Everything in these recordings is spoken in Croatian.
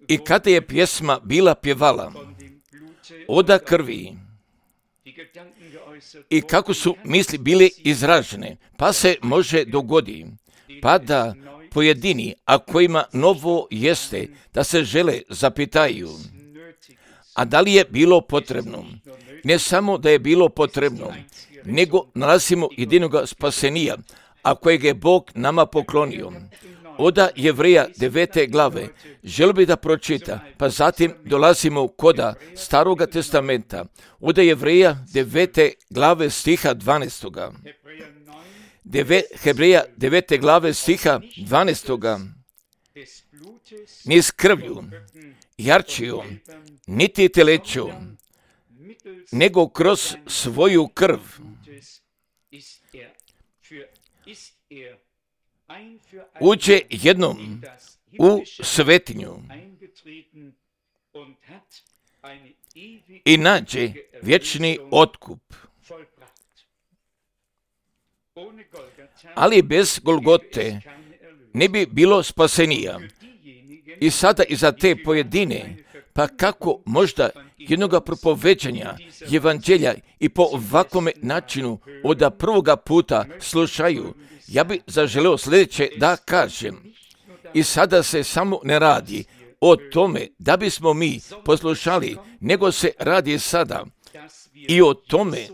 I kada je pjesma bila pjevala oda krvi i kako su misli bile izražene, pa se može dogodi, pa da pojedini, a kojima novo jeste, da se žele zapitaju, a da li je bilo potrebno? Ne samo da je bilo potrebno, nego nalazimo jedinoga spasenija, a kojeg je Bog nama poklonio. Oda Jevreja 9. glave, želio bi da pročita, pa zatim dolazimo koda Staroga testamenta, oda Jevreja 9. glave stiha 12. Hebreja 9. glave stiha 12. Ni s krvlju, jarčiju, niti teleću, nego kroz svoju krv uđe jednom u svetinju i nađe vječni otkup. Ali bez Golgote ne bi bilo spasenija. I sada i za te pojedine, pa kako možda jednoga propoveđanja evanđelja i po ovakvome načinu od prvoga puta slušaju, ja bi zaželeo sljedeće da kažem. I sada se samo ne radi o tome da bismo mi poslušali, nego se radi sada i o tome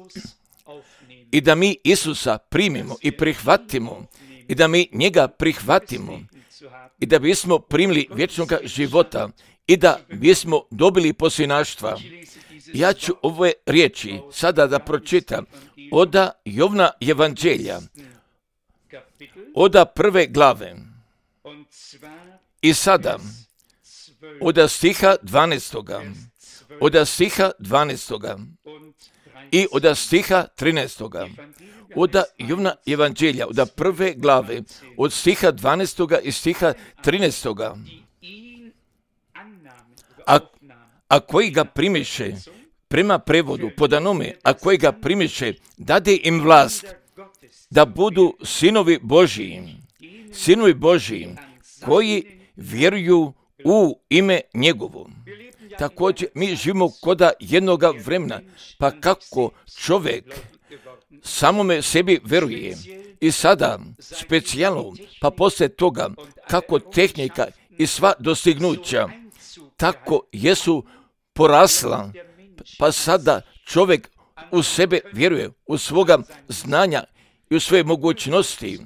i da mi Isusa primimo i prihvatimo i da mi njega prihvatimo i da bismo primili vječnog života i da bismo dobili posinaštva. Ja ću ove riječi sada da pročitam oda Jovna evanđelja, oda 1. glave. I sada, oda stiha 12. Oda stiha 12. I oda stiha 13. Oda Jovna evanđelja, oda 1. glave, od stiha 12. i stiha 13. A koji ga primiše, prema prevodu, podanome, a koji ga primiše, dade im vlast da budu sinovi Božiji, koji vjeruju u ime njegovo. Također, mi živimo koda jednoga vremena, pa kako čovjek samome sebi veruje i sada specijalno, pa poslije toga kako tehnika i sva dostignuća tako jesu porasla, pa sada čovjek u sebe vjeruje, u svoga znanja i u svoje mogućnosti.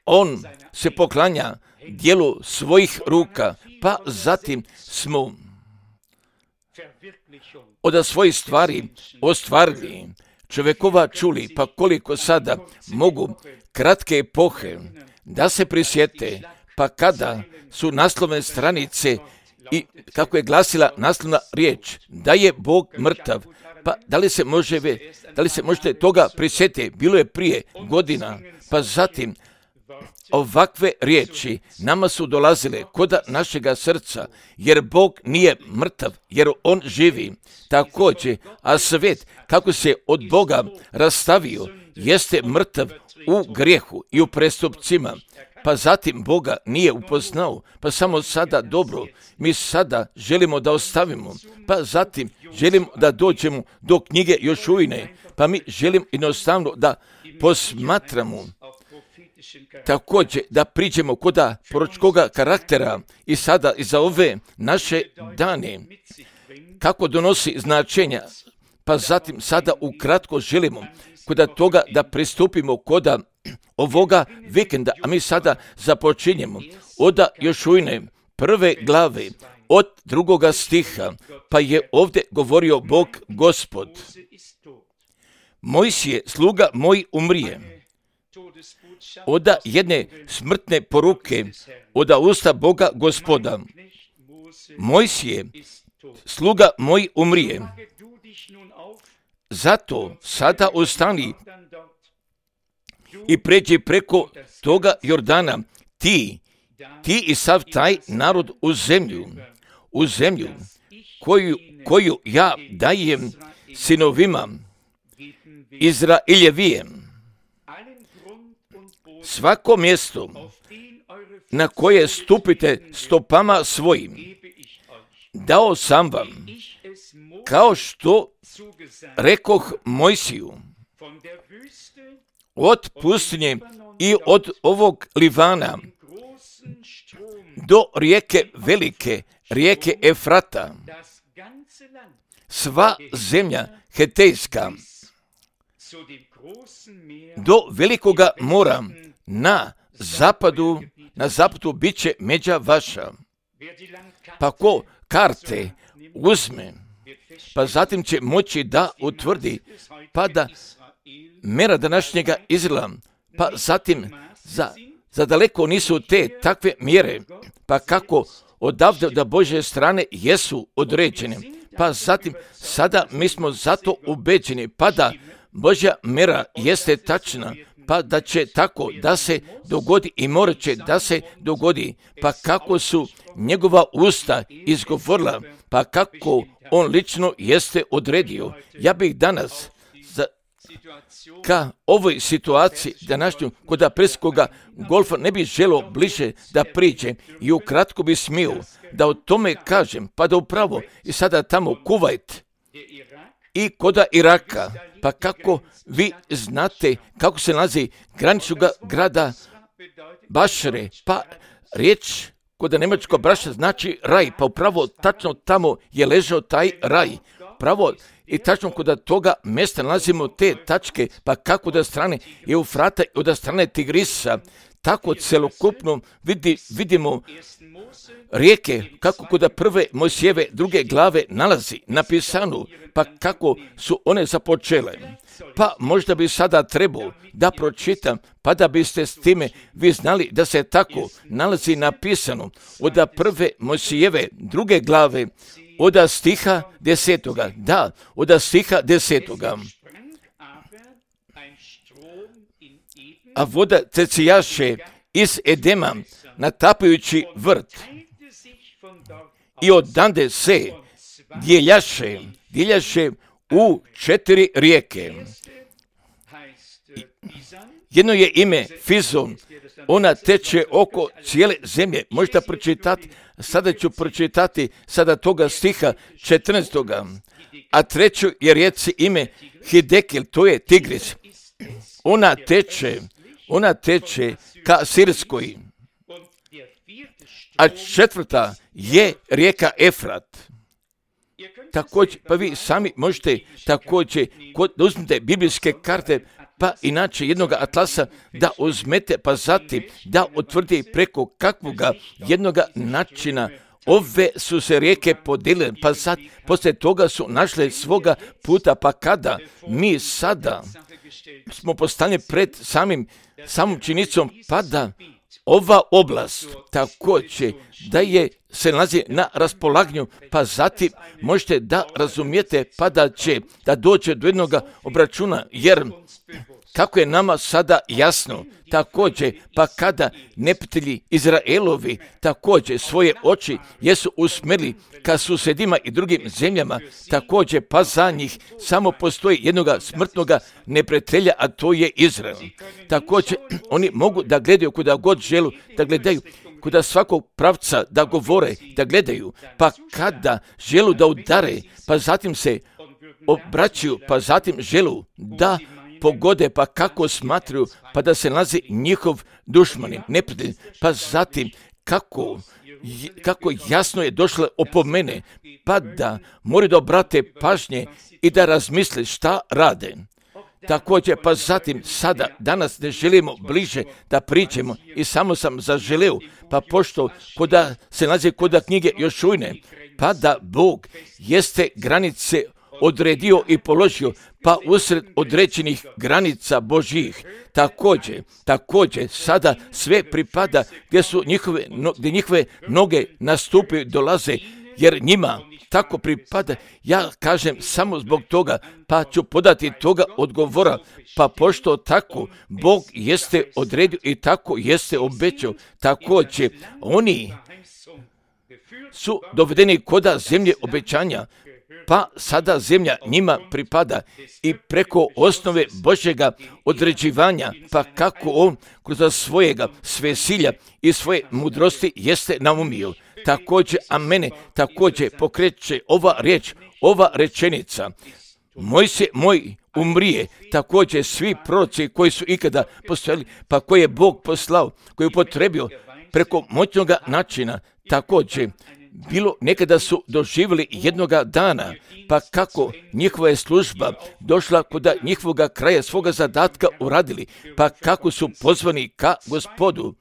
On se poklanja djelu svojih ruka, pa zatim smo od svojih stvari ostvarili čovjekova čuli, pa koliko sada mogu kratke epohe da se prisjete, pa kada su naslovne stranice i kako je glasila naslovna riječ, da je Bog mrtav, pa da li se možete toga prisjetiti, bilo je prije godina, pa zatim ovakve riječi nama su dolazile koda našega srca, jer Bog nije mrtav, jer On živi. Također, a svijet kako se od Boga rastavio, jeste mrtav u grijehu i u prestupcima, pa zatim Boga nije upoznao, pa samo sada dobro, mi sada želimo da ostavimo, pa zatim želimo da dođemo do knjige Jošuine, pa mi želimo jednostavno da posmatramo, također da priđemo koda proročkoga karaktera i sada i za ove naše dane, kako donosi značenja, pa zatim sada ukratko želimo koda toga da pristupimo koda ovoga vikenda, a mi sada započinjemo od Jošuine 1. glave, od 2. stiha, pa je ovdje govorio Bog Gospod. Mojsije, sluga moj, umrije. Oda jedne smrtne poruke, oda usta Boga Gospoda. Mojsije, sluga moj, umrije. Zato sada ustani i pređi preko toga Jordana, ti i sav taj narod u zemlju koju ja dajem sinovima Izraeljevijem. Svako mjesto na koje stupite stopama svojim, dao sam vam, kao što rekoh Mojsiju, od pustinje i od ovog Livana do rijeke velike, rijeke Efrata, sva zemlja Hetejska, do velikoga mora na zapadu bit će međa vaša. Pa ko karte uzme, pa zatim će moći da utvrdi, pa da mera današnjega Izraela, pa zatim za daleko nisu te takve mjere, pa kako odavde do Božje strane jesu određene, pa zatim sada mi smo zato ubeđeni, pa da Božja mera jeste tačna, pa da će tako da se dogodi i morat će da se dogodi, pa kako su njegova usta izgovorila, pa kako on lično jeste odredio. Ja bih danas ka ovoj situaciji današnju kod aprilskoga golfa ne bih želio bliže da priđem i ukratko bi smio da o tome kažem, pa da upravo i sada tamo Kuvajt i koda Iraka, pa kako vi znate kako se nalazi graničnoga grada Bašre, pa riječ koda nemačko braša znači raj, pa upravo tačno tamo je ležao taj raj, pravo i tačno kod toga mjesta nalazimo te tačke, pa kako da strane Eufrata i od strane Tigrisa, tako celokupno vidimo rijeke, kako kod prve Mojsijeve druge glave nalazi napisano, pa kako su one započele. Pa možda bi sada trebao da pročitam, pa da biste s time vi znali da se tako nalazi napisano od prve Mojsijeve druge glave, od stiha 10. Da, od stiha 10. A voda tecijaše iz Edema natapajući vrt i odande se dijeljaše u 4 rijeke. Jedno je ime Fizon, ona teče oko cijele zemlje. Možete pročitati, sada ću pročitati sada toga stiha 14. A treću je rijeci ime Hidekil, to je Tigris. Ona teče ka Sirskoj. A 4. je rijeka Efrat. Također, pa vi sami možete također, da uzmete biblijske karte, pa inače jednoga atlasa da uzmete, pa zatim da utvrdi preko kakvoga jednoga načina ove su se rijeke podijelile, pa sad poslije toga su našle svoga puta, pa kada mi sada smo postavljeni pred samom činjenicom, pa da ova oblast također da se nalazi na raspolaganju, pa zatim možete da razumijete, pa da dođe do jednog obračuna, jer kako je nama sada jasno, također, pa kada neprijatelji Izraelovi također svoje oči jesu usmjerili ka susjedima i drugim zemljama, također pa za njih samo postoji jednoga smrtnoga neprijatelja, a to je Izrael. Također oni mogu da gledaju kuda god želu da gledaju, kuda svakog pravca da govore, da gledaju, pa kada želu da udare, pa zatim se obraćaju, pa zatim želu da pogode, pa kako smatraju, pa da se nalazi njihov dušmani, neprijatelj, pa zatim kako jasno je došlo opomene, pa da moraju da obrate pažnje i da razmisle šta rade. Također, pa zatim sada, danas ne želimo bliže da pričamo i samo sam zaželeo, pa pošto koda se nalazi koda knjige Jošujne, pa da Bog jeste granice odredio i položio, pa usred određenih granica Božjih. Također, sada sve pripada gdje njihove noge nastupaju, dolaze, jer njima tako pripada. Ja kažem samo zbog toga, pa ću podati toga odgovora, pa pošto tako Bog jeste odredio i tako jeste obećao, također oni su dovedeni koda zemlje obećanja, pa sada zemlja njima pripada i preko osnove Božjega određivanja, pa kako on kroz svojega svesilja i svoje mudrosti jeste naumio. Također, a mene također pokreće ova riječ, ova rečenica. Mojsije moj umrije, također svi proroci koji su ikada postojali, pa koje je Bog poslao, koji je upotrebio preko moćnoga načina, također bilo nekada su doživjeli jednoga dana, pa kako njihova je služba došla kod njihovoga kraja svoga zadatka uradili, pa kako su pozvani ka Gospodu.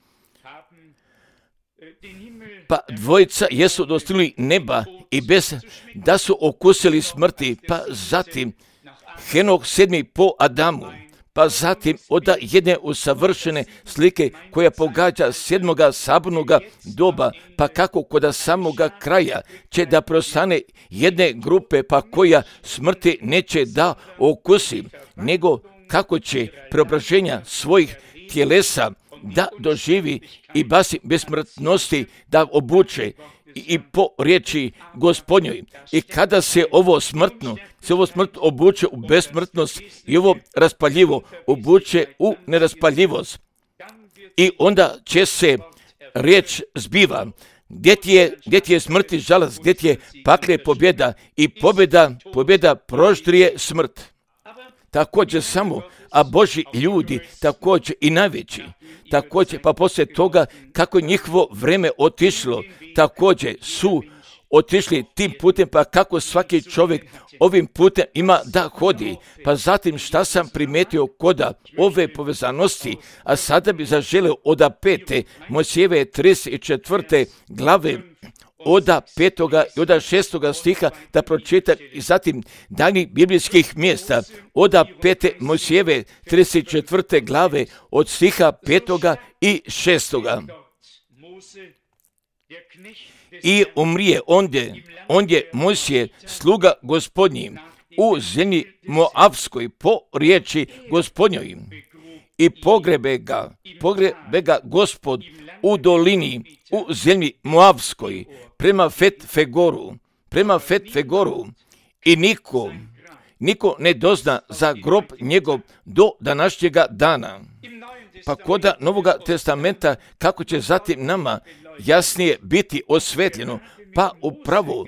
Pa dvojica jesu dostigli neba i bez da su okusili smrti, pa zatim Henok 7. po Adamu, pa zatim od jedne usavršene slike koja pogađa 7. sabornoga doba, pa kako kod samoga kraja će da prostane jedne grupe, pa koja smrti neće da okusi, nego kako će preobraženja svojih tjelesa da doživi i basi besmrtnosti da obuče i po riječi Gospodnjoj. I kada se ovo smrtno obuče u besmrtnost i ovo raspaljivo obuče u neraspaljivost. I onda će se riječ zbiva. Gdje ti je smrti žalost, gdje ti je pakle pobjeda i pobjeda proždrije smrt. Također samo, a Božji ljudi također i najveći, također pa poslije toga kako njihovo vreme otišlo, također su otišli tim putem, pa kako svaki čovjek ovim putem ima da hodi. Pa zatim šta sam primetio kod ove povezanosti, a sada bi zaželio od 5. Mojsijeve 34. glave, od 5. i od 6. stiha da pročitam i zatim daljih biblijskih mjesta od 5. Mojsijeve 34. glave od stiha 5. i 6. I umrije ondje Mojsije sluga Gospodnji u zemlji Moavskoj po riječi Gospodnjoj i pogrebe ga Gospod u dolini u zemlji Moavskoj prema Fet-Fegoru i niko ne dozna za grob njegov do današnjega dana. Pa kod Novoga testamenta kako će zatim nama jasnije biti osvetljeno, pa upravo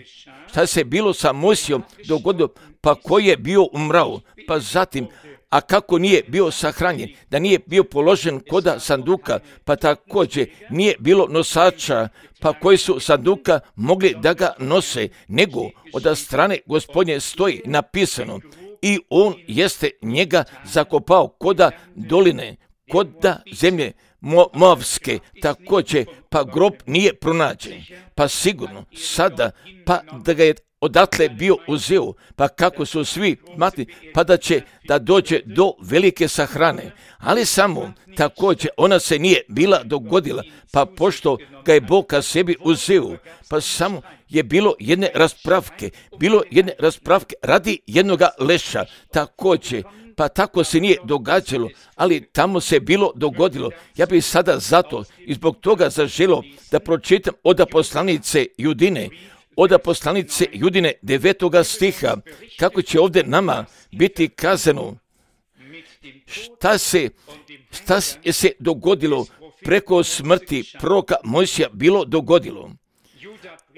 šta se bilo sa Mojsijom dogodilo, pa koji je bio umrao, pa zatim a kako nije bio sahranjen, da nije bio položen kod sanduka, pa također nije bilo nosača, pa koji su sanduka mogli da ga nose, nego od strane Gospodnje stoji napisano i on jeste njega zakopao kod doline, kod zemlje Moavske, također pa grob nije pronađen, pa sigurno sada pa da ga je odatle bio uzeo, pa kako su svi matni, pa da će da dođe do velike sahrane, ali samo također ona se nije bila dogodila, pa pošto ga je Bog ka sebi uzeo, pa samo je bilo jedne raspravke radi jednoga leša, također, pa tako se nije događalo, ali tamo se bilo dogodilo. Ja bih sada zato i zbog toga zaželio da pročitam od poslanice Judine, 9. stiha, kako će ovdje nama biti kazano šta se dogodilo preko smrti proroka Mojsija bilo dogodilo.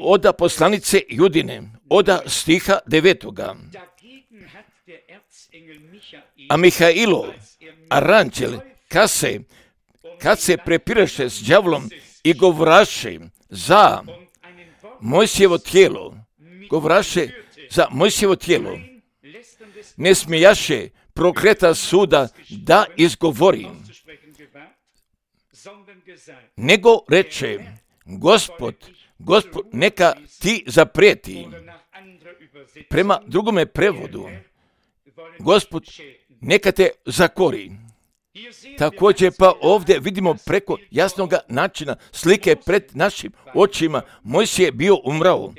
Od poslanice Judine, od stiha 9. A Mihailo, aranđel, kad se prepiraše s đavlom i govraše za Mojsijevo tijelo, ne smijaše prokleta suda da izgovori, nego reče, Gospod neka ti zaprijeti. Prema drugome prevodu, Gospod neka te zakori. Također pa ovdje vidimo preko jasnog načina slike pred našim očima. Mojsije je bio umrao,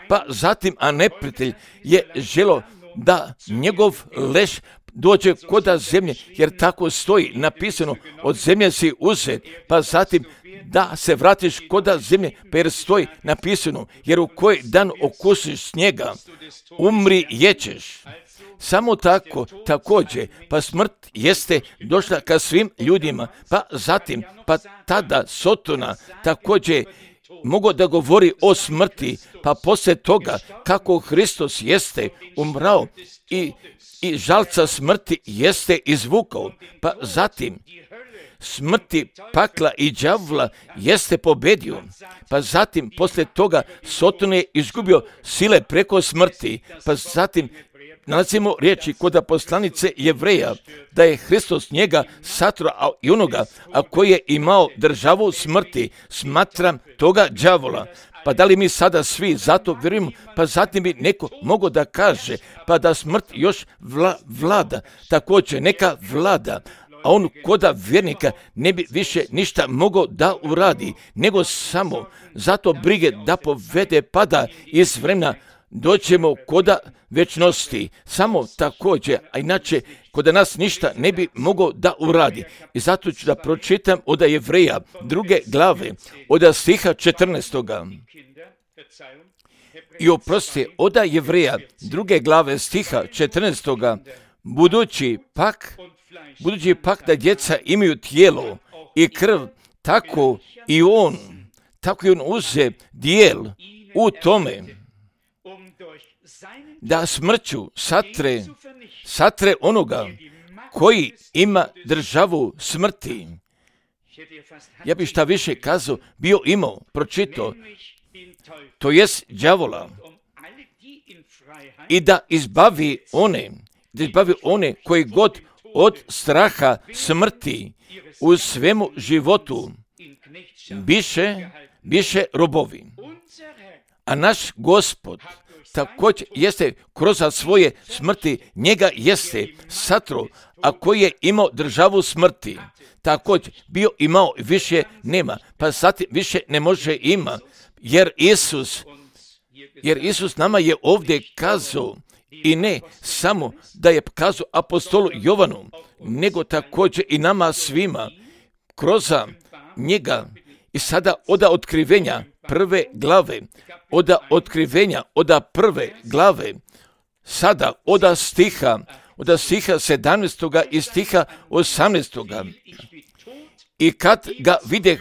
pa zatim a neprijatelj je želio da njegov leš dođe koda zemlje, jer tako stoji napisano, od zemlje si uzet, pa zatim da se vratiš koda zemlje, pa jer stoji napisano, jer u koji dan okusiš snijega, umri jećeš. Samo tako, također, pa smrt jeste došla ka svim ljudima, pa zatim, pa tada Sotona također mogu da govori o smrti, pa poslije toga kako Hristos jeste umrao i žalca smrti jeste izvukao, pa zatim smrti, pakla i đavola jeste pobedio, pa zatim poslije toga Soton je izgubio sile preko smrti, pa zatim nalazimo riječi kod poslanice Jevreja, da je Hristos njega satro, a i onoga, a koji je imao državu smrti, smatram toga đavola. Pa da li mi sada svi zato vjerujemo, pa zatim bi neko mogao da kaže, pa da smrt još vlada, također neka vlada, a on koda vjernika ne bi više ništa mogao da uradi, nego samo zato brige da povede, pa da iz vremena doćemo koda večnosti, samo također, a inače koda nas ništa ne bi mogao da uradi. I zato ću da pročitam od Jevreja 2. glave, od stiha 14. I oprosti, od Jevreja 2. glave stiha 14. Budući pak da djeca imaju tijelo i krv, tako i on uze dijel u tome, da smrću satre onoga koji ima državu smrti. Ja bih šta više kazao, pročitao, to jest đavola, i da izbavi one koji god od straha smrti u svemu životu biše robovi. A naš Gospod također jeste kroz svoje smrti, njega jeste satro, a koji je imao državu smrti, također bio imao, više nema, pa sad više ne može ima, jer Isus nama je ovdje kazao, i ne samo da je kazao apostolu Jovanu, nego također i nama svima, kroz njega. I sada od otkrivenja prve glave, sada od stiha 17. i stiha 18. I kad ga vide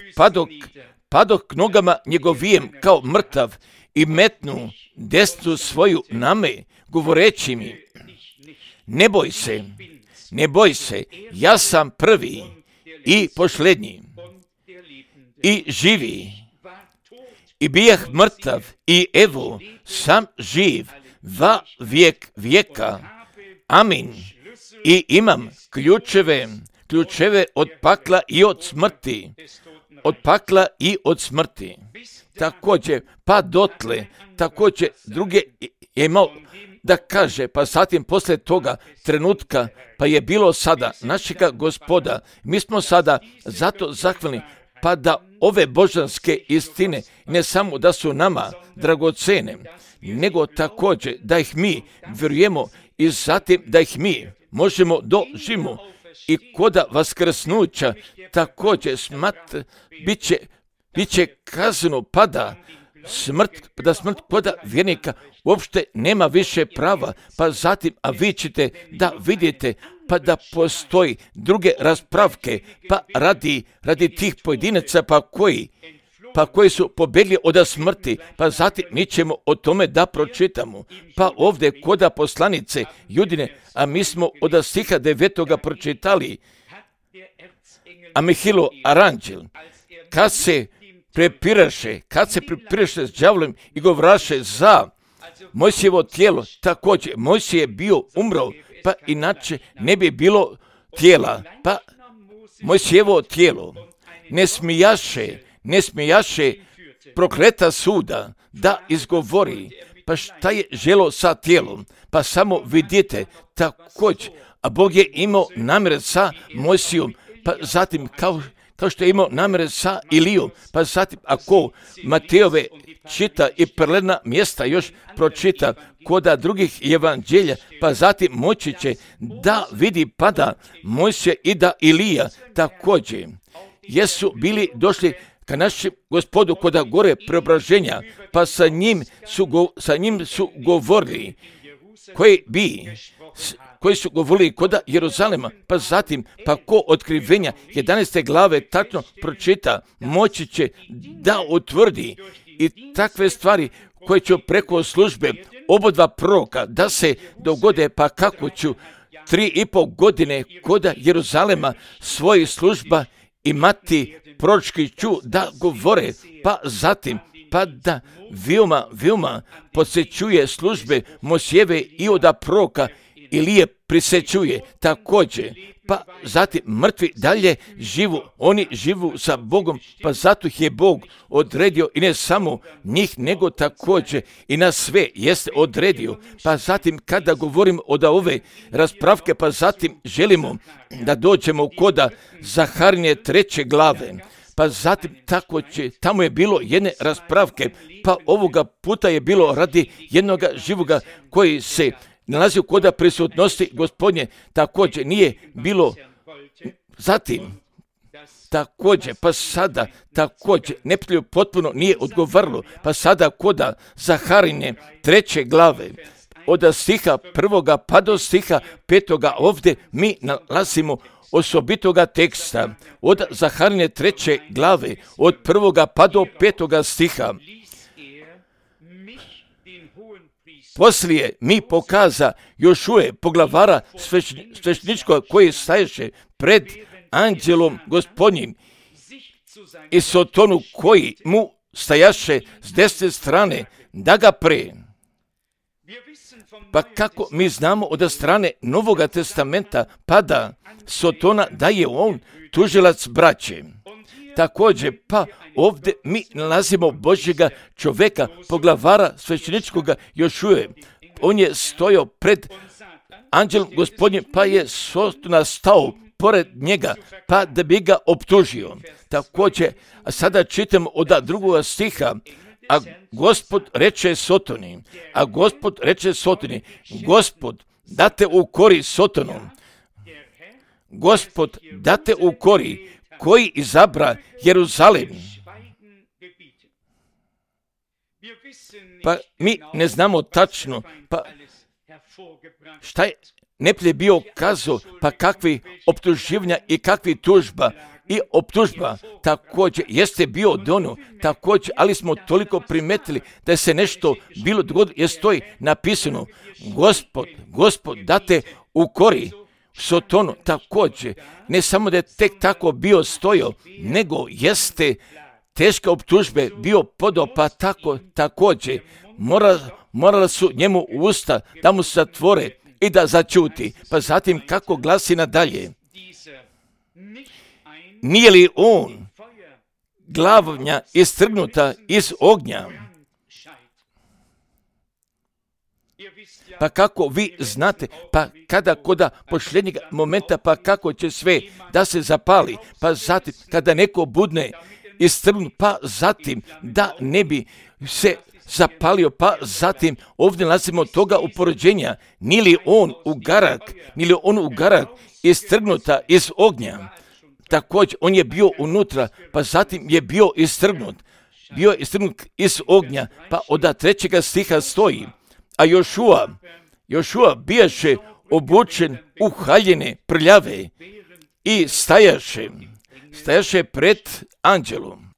padok k nogama njegovijem kao mrtav i metnu desnu svoju na me, govoreći mi, ne boj se, ja sam prvi i posljednji i živi. I bijah mrtav i evo sam živ va vijek vijeka. Amin. I imam ključeve od pakla i od smrti. Također, pa dotle, također druge je imao da kaže, pa zatim poslije toga trenutka, pa je bilo sada našega Gospoda. Mi smo sada zato zahvalni, pa da ove božanske istine ne samo da su nama dragocene, nego također da ih mi vjerujemo i zatim da ih mi možemo doživimo i koda vaskrsnuća također bit će kazano, pa da smrt koda vjernika uopšte nema više prava, pa zatim, a vi ćete da vidite, pa da postoji druge raspravke, pa radi tih pojedinaca, pa koji su pobjegli od smrti, pa zatim mi ćemo o tome da pročitamo. Pa ovdje koda poslanice Judine, a mi smo od stiha 9. pročitali, a Mihilo Aranđel, kad se prepiraše s đavolom i govraše za Mojsijevo tijelo, također Mojsije je bio umro, pa inače ne bi bilo tijela, pa Mojsijevo tijelo ne smijaše prokleta suda da izgovori, pa šta je želo sa tijelom, pa samo vidite također, a Bog je imao namjer sa Mojsijom, pa zatim kao što je imao namere sa Ilijom. Pa zatim, ako Matejove čita i prelena mjesta još pročita koda drugih evanđelja, pa zatim moći će da vidi pada Mojsije i da Ilija također jesu bili došli ka našem Gospodu koda gore preobraženja, pa sa njim su govorili koji su govorili koda Jeruzalema, pa zatim, pa ko otkrivenja 11. glave tačno pročita, moći će da utvrdi i takve stvari koje će preko službe obodva proroka da se dogode, pa kako ću 3,5 godine koda Jeruzalema svojih služba imati proročki ću da govore, pa zatim, pa da veoma posjećuje službe Mojsijeve i oda proroka Ilije prisjećuje također, pa zatim mrtvi dalje živu, oni živu sa Bogom, pa zato ih je Bog odredio i ne samo njih, nego također i na sve jeste odredio. Pa zatim kada govorim od ove raspravke, pa zatim želimo da dođemo koda Zaharije 3. glave, pa zatim tamo je bilo jedne raspravke, pa ovoga puta je bilo radi jednoga živoga koji se nalazi koda prisutnosti Gospodnje, također nije bilo zatim, također, pa sada također neprijatelju potpuno nije odgovaralo, pa sada koda Zaharije 3. glave, od stiha 1. pa do stiha 5. ovdje mi nalazimo osobitoga teksta, od Zaharije 3. glave, od 1. pa do 5. stiha. Poslije mi pokaza Jošuje, poglavara svešteničkog koji staješe pred anđelom Gospodnjim i Sotonu koji mu stajaše s desne strane da ga pre. Pa kako mi znamo od strane Novoga testamenta pada Sotona da je on tužilac braće. Također, pa ovdje mi nalazimo Božjega čovjeka, poglavara svešteničkoga Jošuje. On je stojao pred anđelom Gospodnjim, pa je Sotona stao pored njega, pa da bi ga optužio. Također, a sada čitam od 2. stiha, a Gospod reče Sotoni, Gospod, date ukori Sotonom, Gospod, date ukori, koji izabra Jeruzalem. Pa mi ne znamo tačno, pa šta je neprijatelj bio kazao, pa kakvi optuživanja i kakvi tužba. I optužba također jeste bio dono, također, ali smo toliko primetili da se nešto bilo dogodilo, jer stoji napisano, Gospod, date ukori Sotonu, također, ne samo da je tek tako bio stojao, nego jeste teške optužbe bio podao, pa također morala su njemu usta da mu se zatvore i da začuti. Pa zatim kako glasi nadalje, nije li on glavnja istrgnuta iz ognja? Pa kako vi znate, pa kada koda posljednjeg momenta, pa kako će sve da se zapali, pa zatim kada neko budne istrgnut, pa zatim da ne bi se zapalio, pa zatim ovdje nalazimo toga upoređenja, nije li on ugarak istrgnuta iz ognja? Također, on je bio unutra, pa zatim je bio istrgnut iz ognja, pa od 3. stiha stoji, a Jošua bijaše obučen u haljine prljave i stajaše pred anđelom.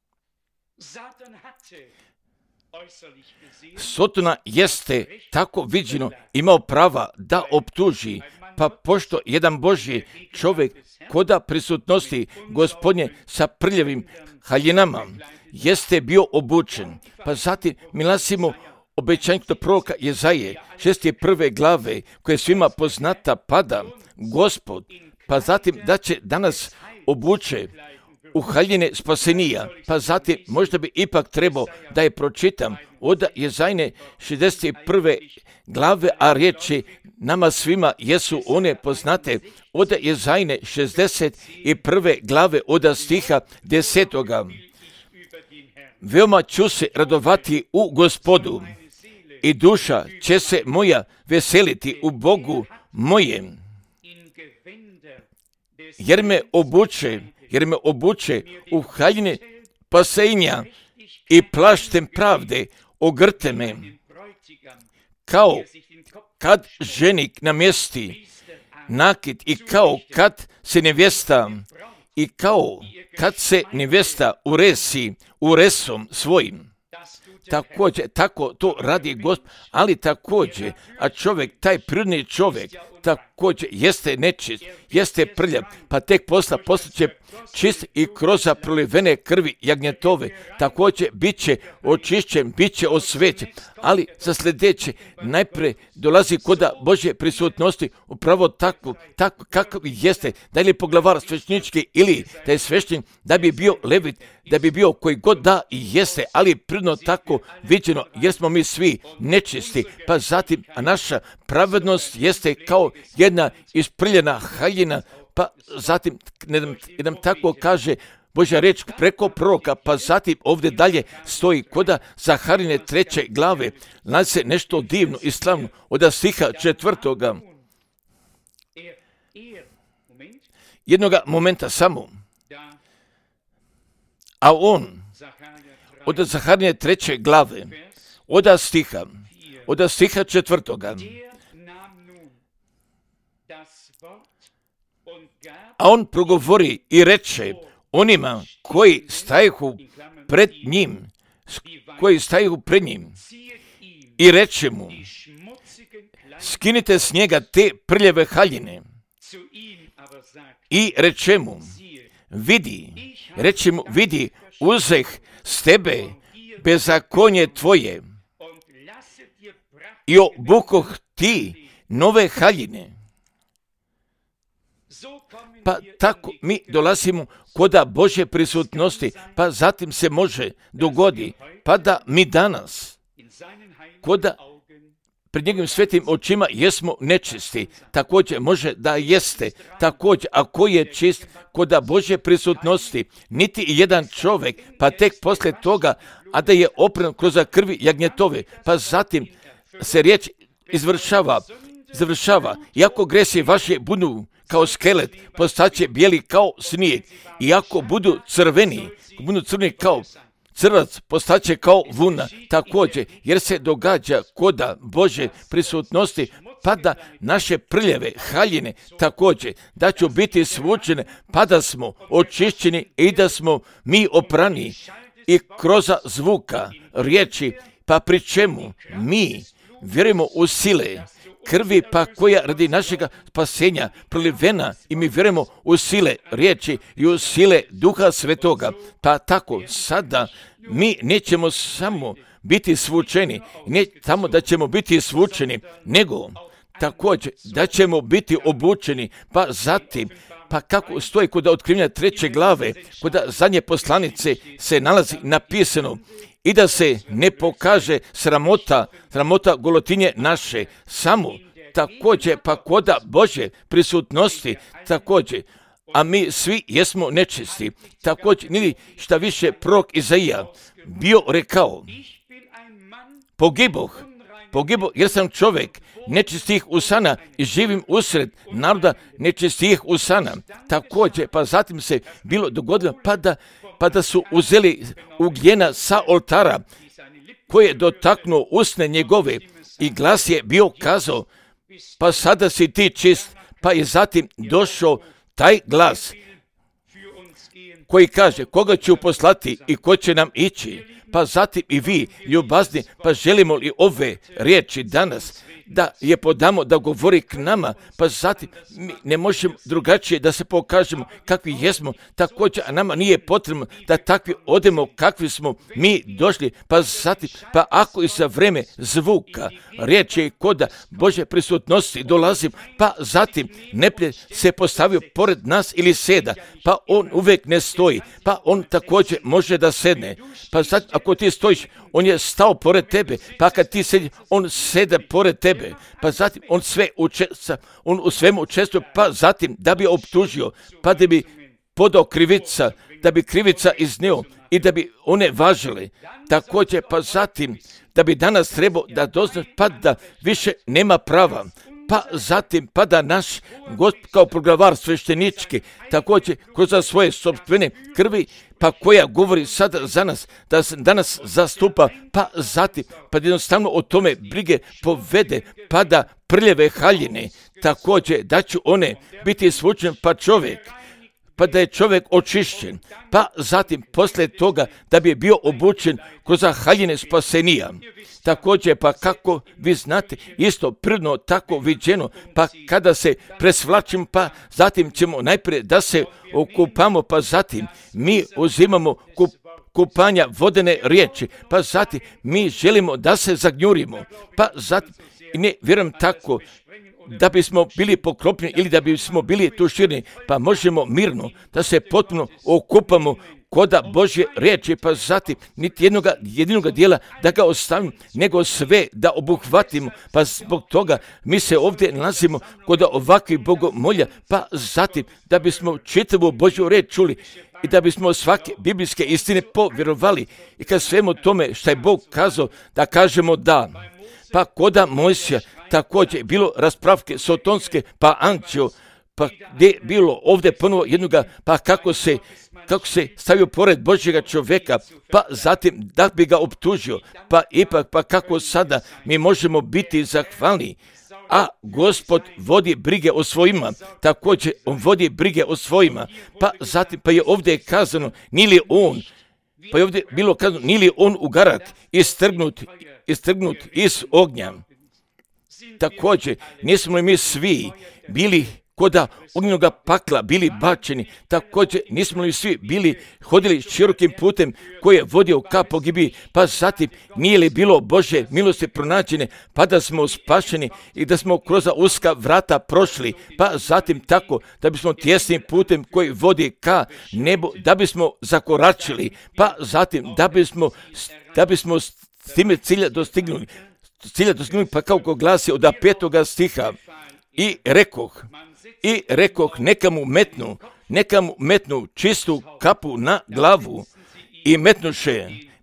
Sotona jeste tako viđeno imao prava da optuži, pa pošto jedan Božji čovjek koda prisutnosti Gospodnje sa prljavim haljinama jeste bio obučen, pa zatim mi nalazimo obećanje kod proroka Jezaje 61. glave koja je svima poznata pada Gospod, pa zatim da će danas obuče u haljine spasenija, pa zatim možda bi ipak trebao da je pročitam od Jezajne 61. glave, a riječi nama svima jesu one poznate, od Jezajne 61. glave od stiha 10. Veoma ću se radovati u Gospodu i duša će se moja veseliti u Bogu mojem, jer me obuče u haljine spasenja i plaštem pravde ogrte me, kao kad ženik namjesti nakit i kao kad se nevjesta uresi uresom svojim. Također, tako to radi Gospod, ali također, a čovjek, taj prirodni čovjek, također jeste nečist, jeste prljav, pa tek postaće čist i kroz prolivene krvi jagnjetove, također bit će očišćen, bit će osvećen, ali za sljedeće najprije dolazi kod Božje prisutnosti upravo tako kako jeste, da li poglavar svećnički ili da je svešten, da bi bio levit, da bi bio koji god da i jeste, ali prirodno tako viđeno, jer smo mi svi nečisti, pa zatim, a naša pravednost jeste kao jedna isprljena haljina, pa zatim nam tako kaže Božja reč preko proroka, pa zatim ovdje dalje stoji koda Zaharine 3. glave, nalazi se nešto divno i slavno od stiha 4. Jednoga momenta samo, a on od Zaharine 3. glave, od stiha 4. A on progovori i reče onima koji stajehu pred njim i reče mu, skinite s njega te prljave haljine i reče mu, vidi, uzeh s tebe bezakonje tvoje i obukoh ti nove haljine. Pa tako mi dolazimo koda Božje prisutnosti, pa zatim se može dogodi, pa da mi danas koda pred njegovim svetim očima jesmo nečisti, također može da jeste, također ako je čist koda Božje prisutnosti, niti jedan čovjek, pa tek poslije toga, a da je opren kroz krvi jagnjetove, pa zatim se riječ završava, iako gresi vaše budu kao skelet, postaće bijeli kao snijeg, i ako budu crveni kao crvac, postaće kao vuna, također, jer se događa koda Božje prisutnosti, pa da naše prljave haljine također, da će biti svučene, pa da smo očišćeni i da smo mi oprani i kroz zvuka riječi, pa pri čemu mi vjerujemo u sile krvi, pa koja radi našega spasenja prolivena, i mi vjerujemo u sile riječi i u sile Duha Svetoga, pa tako sada mi nećemo samo biti svučeni, ne samo da ćemo biti svučeni, nego također da ćemo biti obučeni, pa zatim, pa kako stoji kod Otkrivenja 3. glave, kod zadnje poslanice se nalazi napisano, i da se ne pokaže sramota golotinje naše, samo također pa koda Božje prisutnosti također, a mi svi jesmo nečisti, također niti šta više prorok Izaija bio rekao, pogiboh jer sam čovjek nečistih usana i živim usred naroda nečistih usana. Također, pa zatim se bilo dogodilo pa da su uzeli ugljena sa oltara koji je dotaknuo usne njegove i glas je bio kazao, pa sada si ti čist, pa je zatim došao taj glas koji kaže, koga ću poslati i ko će nam ići, pa zatim i vi, ljubazni, pa želimo li ove riječi danas da je podamo da govori k nama, pa zatim mi ne možemo drugačije da se pokažemo kakvi jesmo, također, a nama nije potrebno da takvi odemo kakvi smo mi došli, pa zatim, pa ako i za vreme zvuka, riječi i koda Božje prisutnosti dolazim, pa zatim neprijatelj se postavio pored nas ili seda, pa on uvijek ne stoji, pa on također može da sedne, pa zatim ako ti stojiš, on je stao pored tebe, pa kad ti sedi, on sede pored tebe, pa zatim on on u svemu učestvuje, pa zatim da bi optužio, pa da bi podao krivica, da bi krivica iznio i da bi one važile. Također, pa zatim da bi danas trebao da dozna, pa da više nema prava, pa zatim pa da naš Gospod kao proglavar sveštenički, također kroz svoje sopstvene krvi, pa koja govori sada za nas, da se danas zastupa, pa zatim, pa jednostavno o tome brige povede, pa da prljave haljine, također da će one biti svučen, pa da je čovjek očišćen, pa zatim poslije toga da bi bio obučen kroz haljine spasenija. Također, pa kako vi znate, isto prirodno tako viđeno, pa kada se presvlačimo, pa zatim ćemo najprije da se okupamo, pa zatim mi uzimamo kupanja vodene riječi, pa zatim mi želimo da se zagnjurimo, pa zatim ne vjerujem tako da bismo bili pokropljeni ili da bismo bili tuširni, pa možemo mirno da se potpuno okupamo koda Božje riječi, pa zatim niti jedinoga dijela da ga ostavimo, nego sve da obuhvatimo, pa zbog toga mi se ovdje nalazimo kod ovakvih bogomolja, pa zatim da bismo čitavu Božju riječ čuli i da bismo svake biblijske istine povjerovali i kad svemu tome što je Bog kazao da kažemo da. Pa koda Mojsija također bilo raspravke sotonske, pa anđeo, pa gdje je bilo ovdje ponovo jednoga, pa kako se stavio pored Božjega čovjeka, pa zatim da bi ga optužio, pa ipak, pa kako sada mi možemo biti zahvalni, a Gospod vodi brige o svojima, također on vodi brige o svojima, pa zatim, pa je ovdje kazano, nije li on ugarak, istrgnut iz ognja. Također, nismo li mi svi bili koda ognjenoga pakla bili bačeni, također nismo li svi hodili širokim putem koji je vodio ka pogibiji, pa zatim nije li bilo Božje milosti pronađene, pa da smo spašeni i da smo kroz uska vrata prošli, pa zatim tako da bismo tjesnim putem koji vodi ka nebu, da bismo zakoračili, pa zatim da bismo s time cilja dostignuli, pa kako glasi od 5. stiha, i rekoh neka mu metnu čistu kapu na glavu i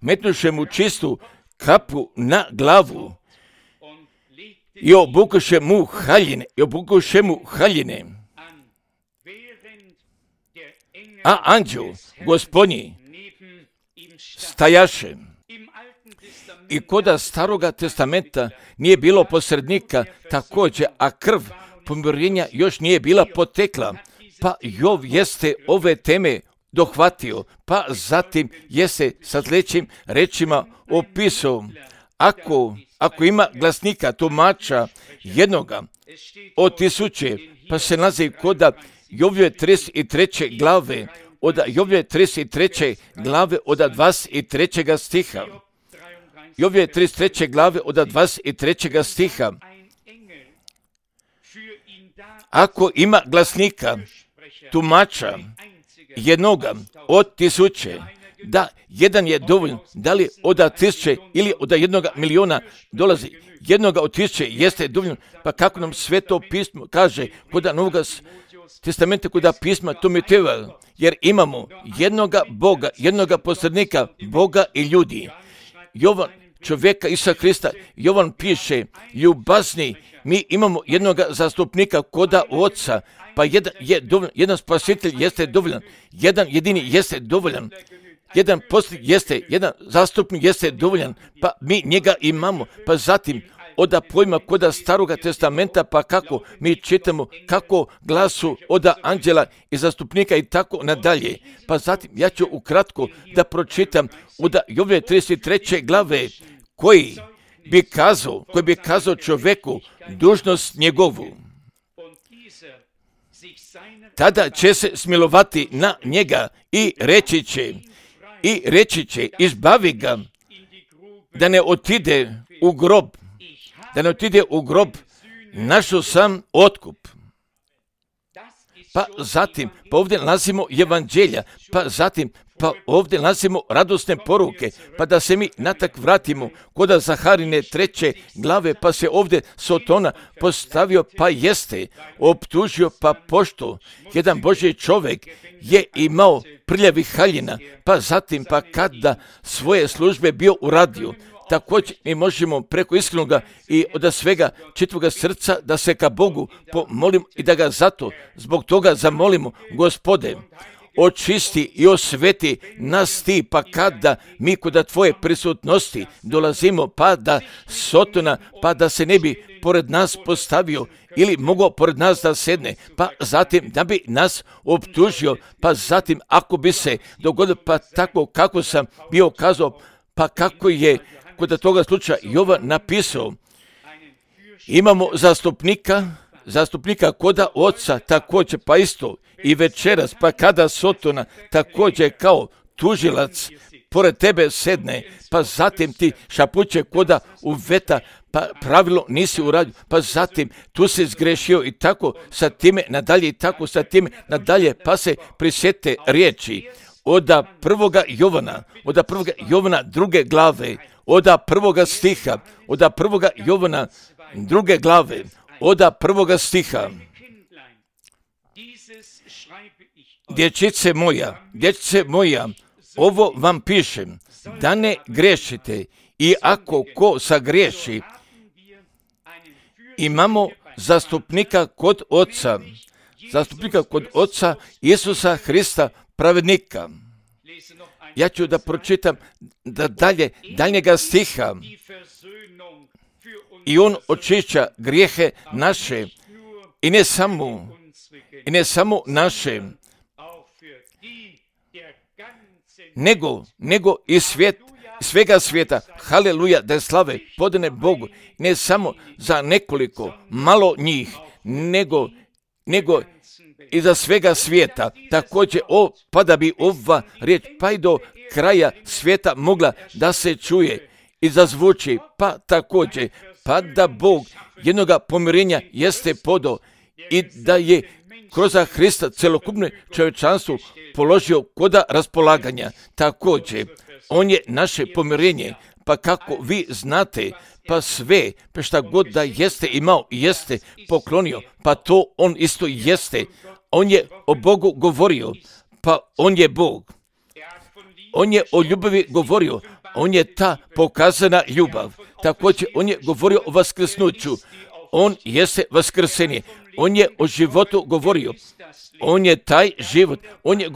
metnuše mu čistu kapu na glavu i obukuše mu haljine. A anđel Gospodnji stajaše. I koda Staroga testamenta nije bilo posrednika također, a krv pomirenja još nije bila potekla, pa Jov jeste ove teme dohvatio, pa zatim jeste sa sljedećim rečima opisao, ako ima glasnika, tumača jednoga od 1000, pa se nalazi koda Jovljeve 33. glave, od Jovljeve 33. glave od 23. stiha. Jovljeve 33. glave od 23. stiha. Ako ima glasnika, tumača, jednoga od 1000, da jedan je dovoljno, da li od 1000 ili od 1.000.000 dolazi, jednoga od 1000 jeste dovoljno, pa kako nam Sveto pismo kaže, kod Novoga testamenta, kod pisma Timoteova, jer imamo jednoga Boga, jednoga posrednika, Boga i ljudi. Jovan, čovjeka Isusa Krista, Jovan piše, ljubazni, mi imamo jednoga zastupnika koda Oca, pa jedan spasitelj jeste dovoljan, jedan jedini jeste dovoljan, jedan posljednik jeste, jedan zastupnik jeste dovoljan, pa mi njega imamo, pa zatim od pojma koda Staroga testamenta, pa kako mi čitamo kako glasu od anđela i zastupnika i tako nadalje. Pa zatim ja ću ukratko da pročitam od Jovne 33. glave koji bi kazao čovjeku dužnost njegovu. Tada će se smilovati na njega i reći će, izbavi ga da ne otide u grob, našao sam otkup. Pa zatim, ovdje nalazimo evanđelja, pa ovdje nalazimo radosne poruke, pa da se mi natak vratimo kod Zaharine 3. glave, pa se ovdje Sotona postavio, pa jeste optužio, pa pošto jedan Božji čovjek je imao prljavih haljina, pa zatim, pa kada svoje službe bio uradio, također mi možemo preko iskrenoga i od svega čitavoga srca da se ka Bogu pomolimo i da ga zbog toga zamolimo, Gospode, očisti i osveti nas ti, pa kada mi kod tvoje prisutnosti dolazimo, pa da Sotona, pa da se ne bi pored nas postavio ili mogao pored nas da sedne, pa zatim da bi nas optužio, pa zatim ako bi se dogodilo, pa tako kako sam bio kazao, pa kako je kod toga slučaja Jovan napisao, imamo zastupnika koda oca također, pa isto i večeras, pa kada Sotona također kao tužilac pored tebe sedne, pa zatim ti šapuće koda uveta, pa pravilo nisi uradio, pa zatim tu si zgrešio i tako sa time nadalje i tako sa time nadalje, pa se prisjete riječi od prvoga Jovana 2. glave, od 1. stiha, od 1. Jovana 2. glave, od 1. stiha. Dječice moja, ovo vam pišem, da ne grešite, i ako ko sagriješi, imamo zastupnika kod Oca, Isusa Hrista, pravednika. Ja ću da pročitam daljnjega stiha. I on očišća grijehe naše, i ne samo naše, nego i svega svijeta. Haleluja, da je slave podane Bogu, ne samo za nekoliko malo njih, nego i za svega svijeta. Također, pa da bi ova riječ pa i do kraja svijeta mogla da se čuje i zazvuči, pa također, pa da Bog jednoga pomirenja jeste podao i da je kroz Hrista celokupno čovječanstvo položio koda raspolaganja. Također, on je naše pomirenje, pa kako vi znate, pa sve, pa šta god da jeste imao i jeste poklonio, pa to on isto jeste. On je o Bogu govorio, pa on je Bog. On je o ljubavi govorio, on je ta pokazana ljubav. Također, on je govorio o vaskrsnuću, on jeste vaskrsenje. On je o životu govorio, on je taj život, on je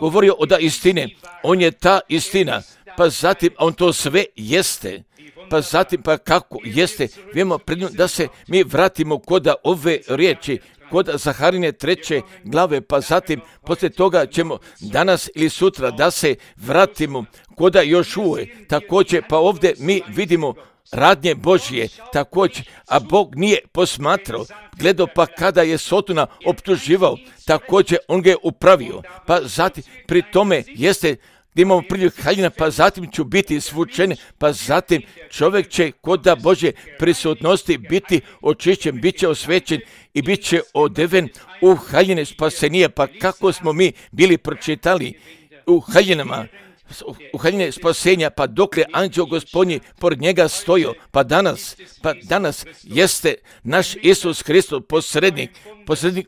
govorio o da istine, on je ta istina, pa zatim on to sve jeste, pa zatim pa kako jeste, vidimo pred njom da se mi vratimo kod ove riječi, kod Zaharine 3. glave, pa zatim poslije toga ćemo danas ili sutra da se vratimo kod Jošue, također pa ovdje mi vidimo radnje Božje, također, a Bog nije posmatrao, gledao pa kada je Sotona optuživao, također on ga je upravio, pa zatim pri tome jeste gdje imamo priljev haljina, pa zatim ću biti svučen, pa zatim čovjek će kod Božje prisutnosti biti očišćen, bit će osvećen i bit će odeven u haljine spasenija, pa kako smo mi bili pročitali u haljine spasenja, pa dokle anđeo Gospodnji pored njega stojio, pa danas jeste naš Isus Hristos posrednik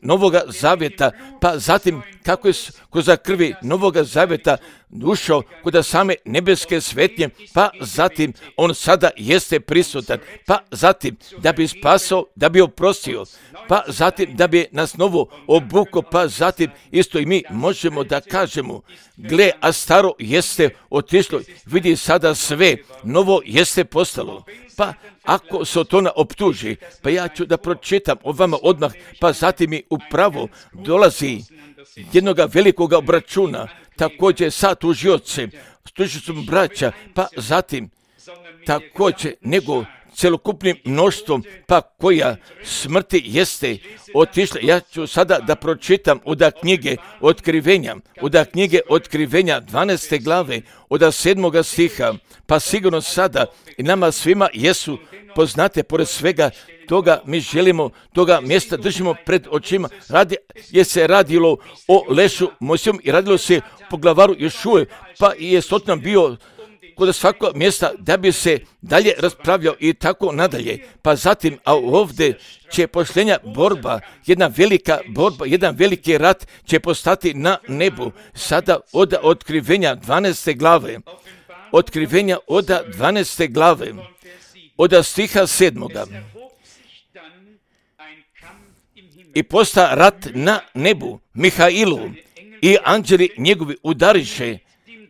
Novoga zavjeta, pa zatim kako je kroz krvi Novoga zavjeta ušao kod same nebeske svetnje, pa zatim on sada jeste prisutan, pa zatim da bi spasao, da bi oprostio, pa zatim da bi nas novo obukao, pa zatim isto i mi možemo da kažemo, gle, a staro jeste otišlo, vidi sada sve, novo jeste postalo. Pa ako Sotona optuži, pa ja ću da pročitam o vama odmah, pa zatim mi upravo dolazi jednoga velikoga obračuna, također sa tužiocem, s tužicom braća, pa zatim također nego celokupnim mnoštvom, pa koja smrti jeste otišla. Ja ću sada da pročitam od knjige Otkrivenja 12. glave, od 7. stiha, pa sigurno sada i nama svima jesu poznate, pored svega toga mi želimo, toga mjesta držimo pred očima, jer se radilo o lešu Mojsijevom i radilo se po glavaru Jošue, pa je Sotan bio kod svakog mjesta da bi se dalje raspravljao i tako nadalje. Pa zatim, a ovdje će posljednja borba, jedna velika borba, jedan veliki rat će postati na nebu. Sada od Otkrivenja 12. glave, Otkrivenja od 12. glave, od stiha 7. I posta rat na nebu, Mihailu i anđeli njegovi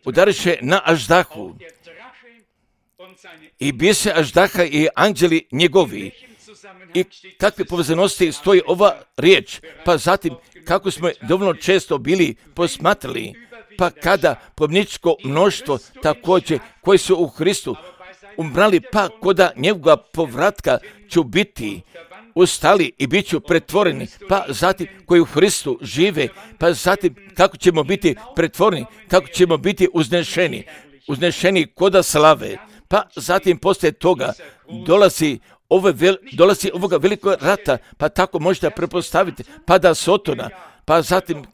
udariše na Aždahu. I bise Aždaha i anđeli njegovi. I kakve povezanosti stoji ova riječ? Pa zatim, kako smo dovoljno često bili posmatrali, pa kada pobničko mnoštvo također koji su u Hristu umrali, pa koda njegova povratka ću biti ustali i bit ću pretvoreni, pa zatim koji u Hristu žive, pa zatim kako ćemo biti pretvoreni, kako ćemo biti uznešeni koda slave, pa zatim poslije toga dolazi ovoga velikog rata, pa tako možete prepostaviti, pada Sotona, pa zatim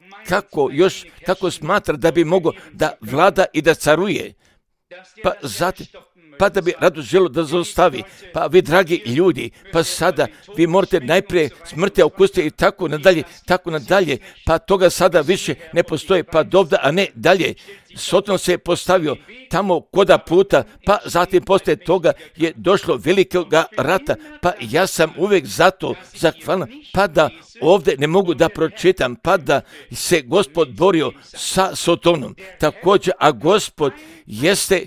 kako smatra da bi mogao da vlada i da caruje, pa zatim pa da bi rado želo da zaustavi. Pa vi, dragi ljudi, pa sada vi morate najprije smrti okusiti i tako nadalje, pa toga sada više ne postoje, pa dovda, a ne dalje. Soton se je postavio tamo koda puta, pa zatim poslije toga je došlo velikoga rata, pa ja sam uvijek zato zahvalan, pa da ovdje ne mogu da pročitam, pa da se Gospod borio sa Sotonom. Također, a Gospod jeste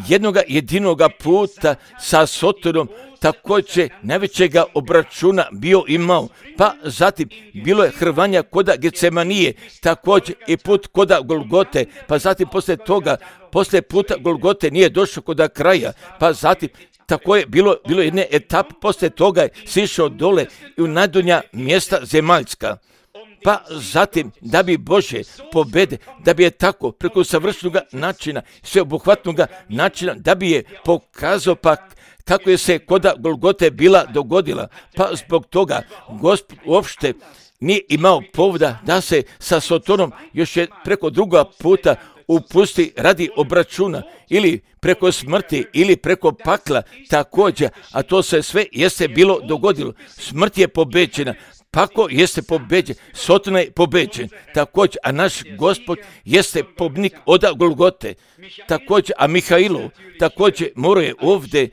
jednoga jedinoga puta sa Sotonom, također najvećega obračuna bio imao, pa zatim bilo je hrvanja koda Getsemanije, također i put koda Golgote, pa zatim poslije puta Golgote nije došao koda kraja, pa zatim tako je bilo jedne etape, poslije toga je sišao dole i u najdonja mjesta zemaljska. Pa zatim, da bi Bože pobede, da bi je tako preko savršenog načina, sveobuhvatnog načina, da bi je pokazao pa kako je se koda Golgote bila dogodila. Pa zbog toga Gospod uopšte nije imao povoda da se sa Sotonom još je preko druga puta upusti radi obračuna ili preko smrti ili preko pakla također, a to se sve jeste bilo dogodilo. Smrt je pobeđena, pakao jeste pobeđen, Soton je pobeđen, također, a naš Gospod jeste pobnik od Golgote, također, a Mihailu također mora je ovdje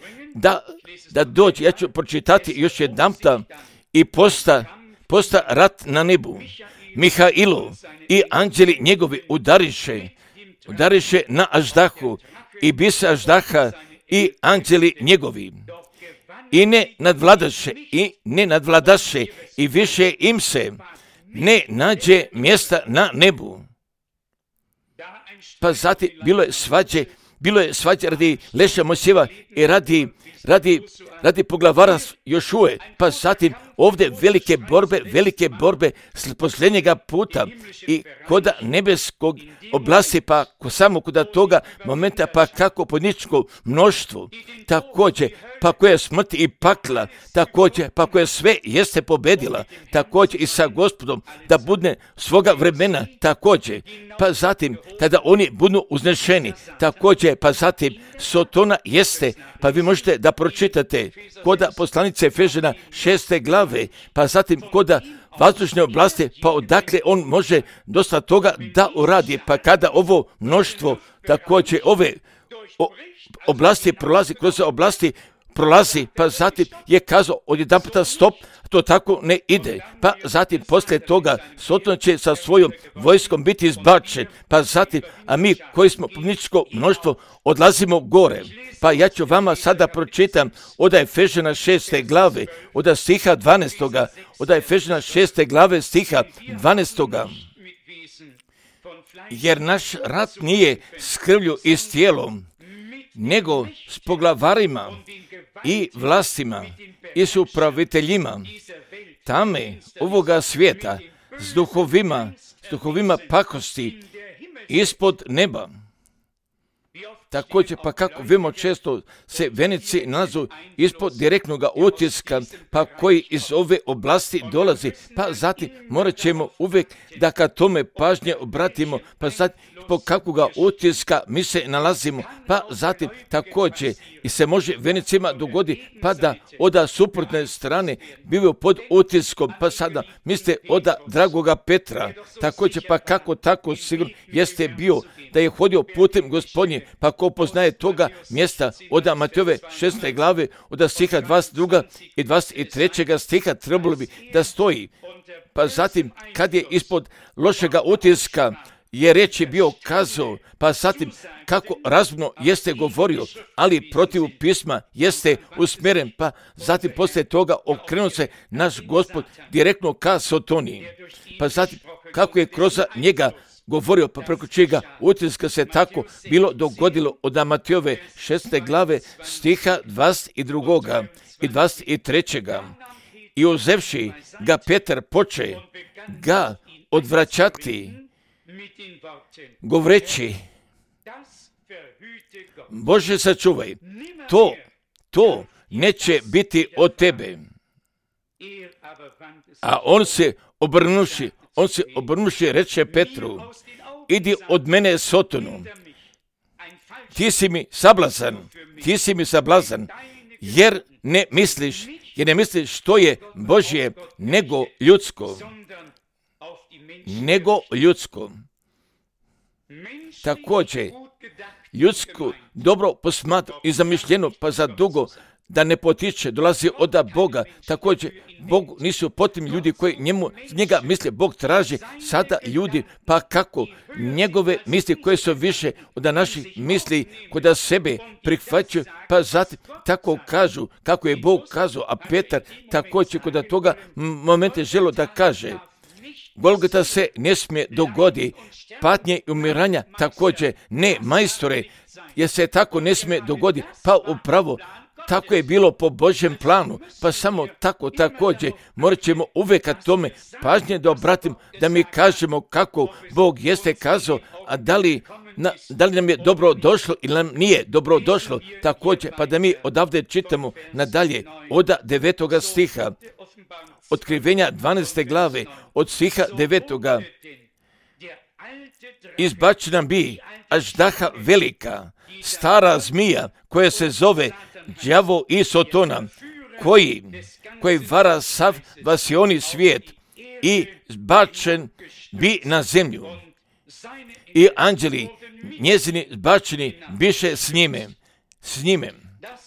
da dođe. Ja ću pročitati još jedanputa i posta rat na nebu. Mihailu i anđeli njegovi udariše na Aždahu i bise Aždaha i anđeli njegovi. I ne nadvladaše i više im se ne nađe mjesta na nebu. Pa zatim bilo je svađe radi leša Mojsijeva i radi poglavara Jošue, pa zatim ovdje velike borbe posljednjega puta i koda nebeskog oblasti, pa samo koda toga momenta, pa kako podničko mnoštvo, također, pa koja smrt i pakla, također, pa koja sve jeste pobedila, također i sa Gospodom, da budne svoga vremena, također, pa zatim, kada oni budu uznešeni, također, pa zatim, Sotona jeste, pa vi možete da pročitate koda poslanice Efežana 6. glave, pa zatim koda vazdušne oblasti, pa odakle on može dosta toga da uradi, pa kada ovo mnoštvo također ove oblasti prolazi, kroz oblasti prolazi, pa zatim je kazao odjedan puta stop, to tako ne ide, pa zatim poslije toga Soton će sa svojom vojskom biti izbačen, pa zatim, a mi koji smo pobjedničko mnoštvo odlazimo gore. Pa ja ću vama sada pročitam od Efežana 6. glave, od stiha 12. Od Efežana 6. glave stiha 12. Jer naš rat nije s krvlju i s tijelom, nego s poglavarima i vlastima i s upraviteljima tame ovoga svijeta, s duhovima pakosti ispod neba. Također, pa kako vidimo, često se venici nalazu ispod direktnog utiska, pa koji iz ove oblasti dolazi, pa zatim morat ćemo uvijek da ka tome pažnje obratimo, pa zatim po kakvoga utiska mi se nalazimo, pa zatim također i se može venicima dogodi, pa da od suprotne strane bivaju pod utiskom, pa sada mislite od dragoga Petra, također pa kako tako sigurno jeste bio da je hodio putem Gospodnje, pa ko poznaje toga mjesta od Matejove 6. glave, od stiha 22. i 23. stiha trebalo bi da stoji. Pa zatim, kad je ispod lošega utiska je reći bio kazao, pa zatim kako razumno jeste govorio, ali protiv pisma jeste usmjeren, pa zatim poslije toga okrenuo se naš Gospod direktno ka Sotoniji. Pa zatim kako je kroz njega govorio, pa preko čega utiska se tako bilo dogodilo od Matejove 6. glave stiha 22. i 23. I uzevši ga Petar poče ga odvraćati, govoreći, Bože sačuvaj, to neće biti od tebe. A on se obrnuši reče Petru, idi od mene Sotonu, ti si mi sablazan, jer ne misliš što je Božje nego ljudsko. Također, ljudsko dobro posmatrano i zamišljeno, pa za dugo da ne potiče, dolazi od Boga. Također, Bog nisu potim ljudi koji njega misle, Bog traži sada ljudi, pa kako njegove misli koje su više od naših misli, kod sebe prihvaćaju, pa zatim tako kažu, kako je Bog kazao, a Petar također kod toga momente želo da kaže, Golgota se ne smije dogodi, patnje i umiranja također ne, majstore, jer se tako ne smije dogodi, pa upravo tako je bilo po Božjem planu, pa samo tako također morat ćemo uvijek tome pažnje da obratim, da mi kažemo kako Bog jeste kazao, a da li nam je dobro došlo ili nam nije dobro došlo, također, pa da mi odavde čitamo nadalje od 9. stiha, Otkrivenja 12. glave, od stiha 9. Izbačena bi aždaha velika, stara zmija koja se zove đavo i Sotona, koji vara sav vasioni svijet i zbačen bi na zemlju. I anđeli njezini zbačeni biše s njime.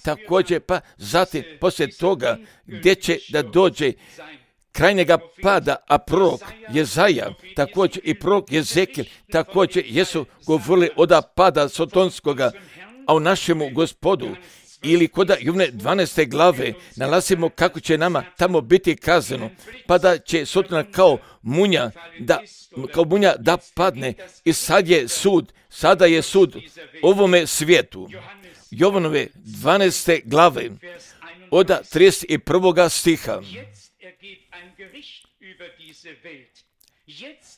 Također pa zatim poslije toga gdje će da dođe krajnjega pada, a prorok Jezaja, također i prorok Jezekil, također jesu govorili od pada sotonskoga, a u našemu Gospodu ili kod Jovne 12. glave nalazimo kako će nama tamo biti kazano, pa da će Sotona kao munja da padne i sada je sud ovome svijetu. Jovanove 12. glave od 31. stiha.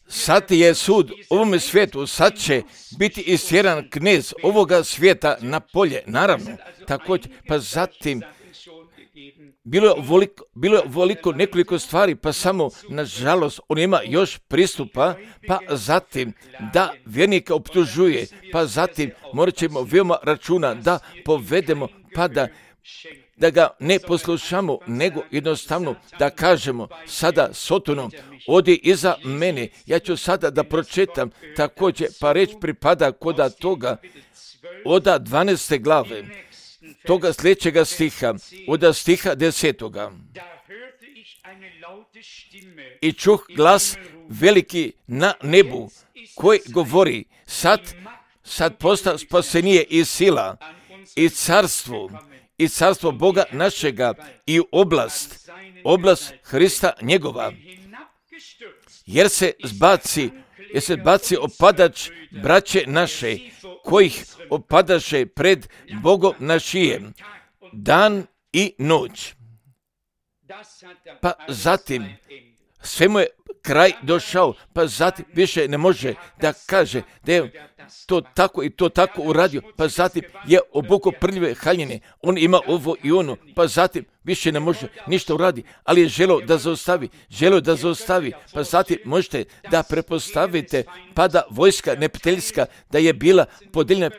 Sad je sud ovome svijetu, sad će biti istjeran knez ovoga svijeta na polje, naravno, također, pa zatim bilo je ovoliko nekoliko stvari, pa samo, nažalost, on ima još pristupa, pa zatim da vjernika optužuje, pa zatim morat ćemo veoma računa da povedemo, pa da da ga ne poslušamo, nego jednostavno da kažemo sada Sotonu, odi iza mene, ja ću sada da pročitam također, pa reč pripada koda toga, oda 12. glave, toga sljedećega stiha, oda stiha 10. I čuh glas veliki na nebu, koji govori, sad posta spasenije i sila, i carstvo Boga našega, i oblast Hrista njegova, jer se zbaci opadač braće naše, kojih opadaše pred Bogom našijem, dan i noć. Pa zatim, sve mu je kraj došao, pa zatim više ne može da kaže da je to tako i to tako uradio, pa zatim je obukao prljive haljine, on ima ovo i ono, pa zatim više ne može ništa uradi, ali je želeo da zaustavi, pa zatim možete da prepostavite, pa da vojska neprijateljska da je bila podijeljena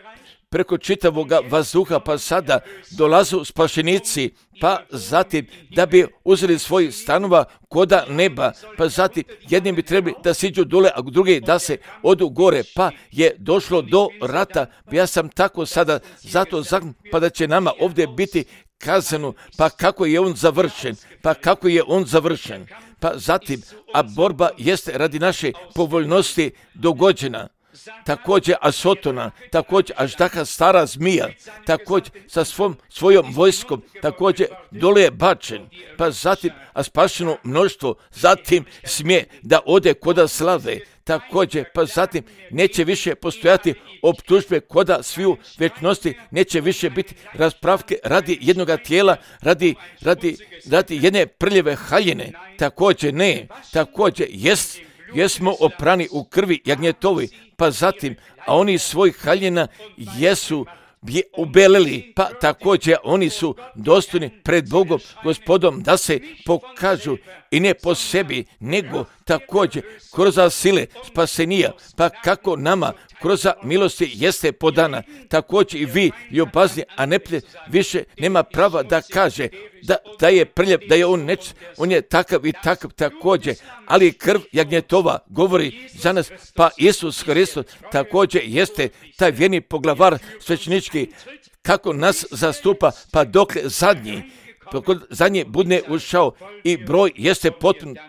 preko čitavoga vazduha, pa sada dolazu spašenici, pa zatim da bi uzeli svoj stanova koda neba, pa zatim jedni bi trebali da siđu dole, a drugi da se odu gore, pa je došlo do rata. Ja sam tako sada zato pa da će nama ovdje biti kazano, pa kako je on završen, pa zatim, a borba jeste radi naše povoljnosti dogođena. Također Asotona, također Aždaha stara zmija, također sa svojom vojskom, također dole je bačen, pa zatim a spašeno mnoštvo, zatim smije da ode koda slave, također, pa zatim neće više postojati optužbe koda sviju večnosti, neće više biti raspravke radi jednoga tijela, radi jedne prljave haljine, također jesmo oprani u krvi jagnjetovi, pa zatim, a oni svojih haljina jesu ubelili, pa također oni su dostojni pred Bogom, Gospodom, da se pokažu i ne po sebi, nego također kroz sile spasenija, pa kako nama kroz milosti jeste podana, također i vi ljubazni, a ne više nema prava da kaže da je prljav, da je on je takav i takav također, ali krv jagnjetova govori za nas, pa Isus Hristos također jeste taj vjerni poglavar svećenički, kako nas zastupa, pa dok zadnji budne ušao i broj jeste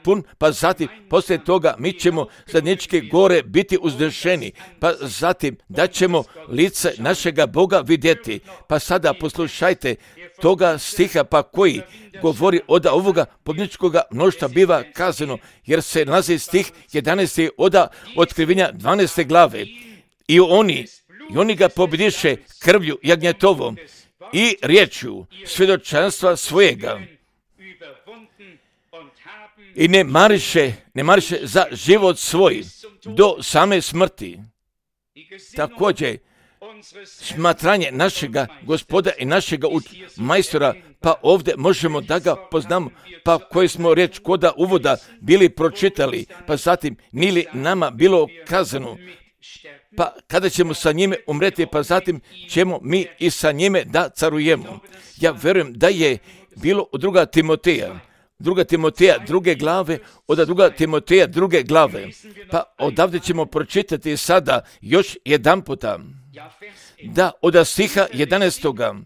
pun, pa zatim poslije toga mi ćemo zadnjičke gore biti uzdešeni, pa zatim da ćemo lice našega Boga vidjeti. Pa sada poslušajte toga stiha, pa koji govori od ovoga pobjedničkoga mnoštva biva kazano, jer se nalazi stih 11. od Otkrivenja 12. glave. I oni ga pobjediše krvlju jagnjetovom i riječju svjedočanstva svojega i ne mariše za život svoj do same smrti. Također, smatranje našega Gospoda i našega majstora, pa ovdje možemo da ga poznamo, pa koji smo riječ koda uvoda bili pročitali, pa zatim nili nama bilo kazano, pa kada ćemo sa njime umreti, pa zatim ćemo mi i sa njime da carujemo. Ja vjerujem da je bilo u 2. Timoteja druge glave, od 2. Timoteja druge glave, pa odavde ćemo pročitati sada još jedan puta, da od stiha 11.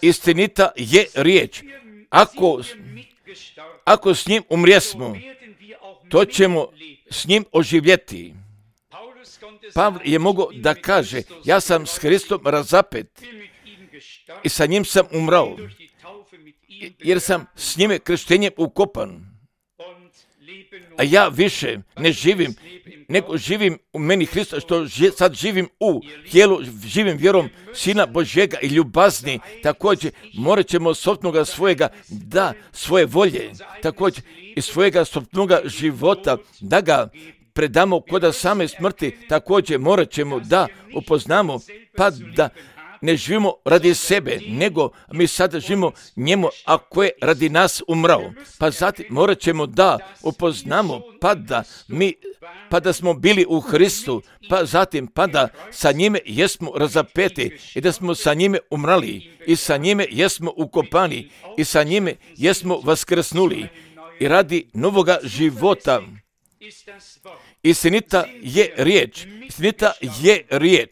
istinita je riječ, ako s njim umrijesmo, to ćemo s njim oživjeti. Pavle je mogao da kaže, ja sam s Hristom razapet i sa njim sam umrao, jer sam s njime krštenjem ukopan. A ja više ne živim, nego živim u meni Hrista, što sad živim u tijelu, živim vjerom Sina Božjega i ljubazni. Također morat ćemo sopnoga svojega, da svoje volje, također i svojega sopnoga života, da ga predamo koda same smrti. Također morat ćemo da upoznamo, pa da ne živimo radi sebe, nego mi sada živimo njemu, a ko je radi nas umrao. Pa zatim morat ćemo da upoznamo, pa da smo bili u Hristu, pa zatim pa da sa njime jesmo razapeti i da smo sa njime umrali i sa njime jesmo ukopani i sa njime jesmo vaskrsnuli i radi novoga života. Istinita je riječ.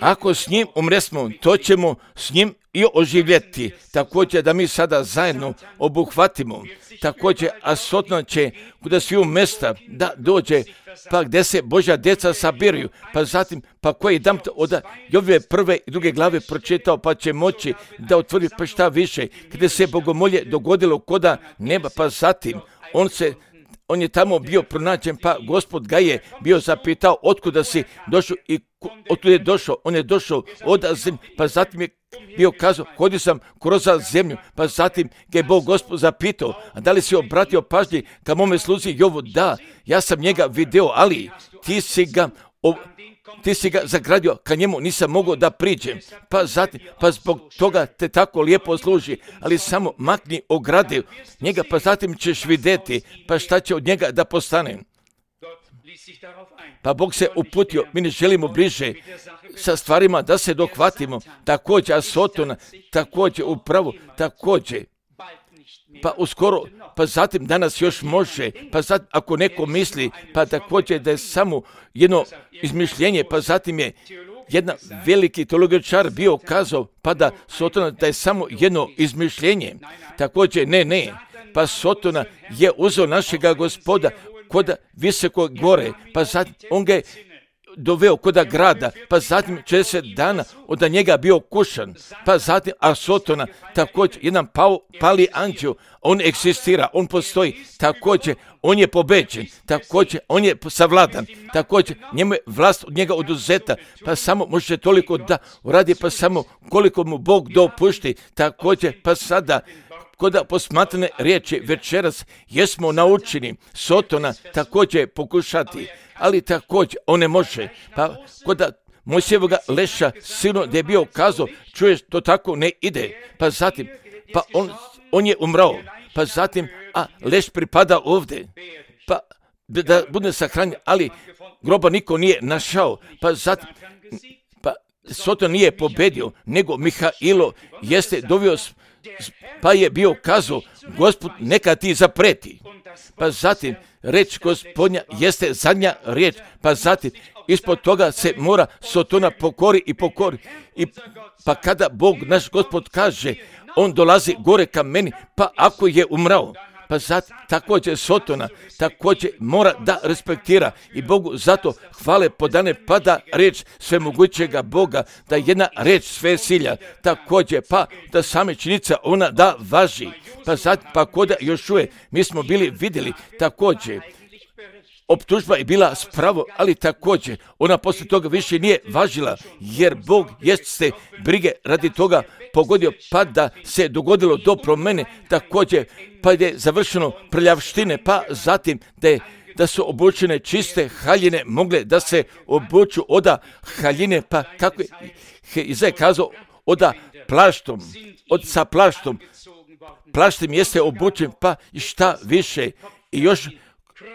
Ako s njim umresmo, to ćemo s njim i oživjeti. Također da mi sada zajedno obuhvatimo. Također, a Satan će kuda sviju mesta da dođe, pa gdje se Božja djeca sabiraju, pa zatim, pa koji dam od Jovove 1. i 2. glave pročitao, pa će moći da otvrdi pa šta više. Kada se bogomolje dogodilo koda neba, pa zatim on je tamo bio pronađen, pa Gospod ga je bio zapitao otkuda si došao i otkud je došao. On je došao od zemlje, pa zatim je bio kazao, hodio sam kroz zemlju, pa zatim ga je Bog Gospod zapitao, a da li si obratio pažnji ka mome sluzi Jovu? Da, ja sam njega video, ali ti si ga zagradio, ka njemu nisam mogao da priđem, pa zatim, pa zbog toga te tako lijepo služi, ali samo makni ograde njega, pa zatim ćeš vidjeti, pa šta će od njega da postane. Pa Bog se uputio, mi ne želimo bliže sa stvarima da se dohvatimo, također, a Sotona, također, upravo, također, pa uskoro, pa zatim danas još može, pa zatim ako neko misli, pa također da je samo jedno izmišljenje, pa zatim je jedan veliki teologičar bio kazao, pa da Sotona da je samo jedno izmišljenje, također ne, pa Sotona je uzeo našega Gospoda kod visokog gore, pa zatim on ga je doveo kod grada, pa zatim 40 dana od njega bio kušan, pa zatim Sotona, također jedan pali anđeo, on egzistira, on postoji, također on je pobeđen, također on je savladan, također njemu je vlast od njega oduzeta, pa samo može toliko da uradi, pa samo koliko mu Bog dopušti, također pa sada kod posmatrane riječi večeras jesmo naučeni Sotona također pokušati, ali također on ne može. Pa kod Mojsijevoga leša silno da je bio kazao, čuješ, to tako ne ide. Pa zatim, pa on je umrao. Pa zatim, leš pripada ovdje. Pa da bude sahranjen, ali groba niko nije našao. Pa zatim, Soton nije pobedio, nego Mihailo jeste dovio, pa je bio kazao, Gospod neka ti zapreti. Pa zatim, reč Gospodnja jeste zadnja riječ, pa zatim, ispod toga se mora Sotona pokori. Pa kada Bog, naš Gospod, kaže, on dolazi gore ka meni, pa ako je umrao, pa zatim također Sotona također mora da respektira i Bogu zato hvale podane, pa da riječ svemogućega Boga, da jedna riječ sve silja, također pa da same činjenica ona da važi, pa zatim pa kod Jošue mi smo bili vidjeli također optužba je bila spravo, ali također ona poslije toga više nije važila, jer Bog jeste brige radi toga pogodio, pa da se dogodilo do promene, također pa je završeno prljavštine, pa zatim da su obučene čiste haljine mogle da se obuču oda haljine, pa kako je Izaj kazao, oda plaštom, sa plaštom, plaštem jeste obučen, pa i šta više i još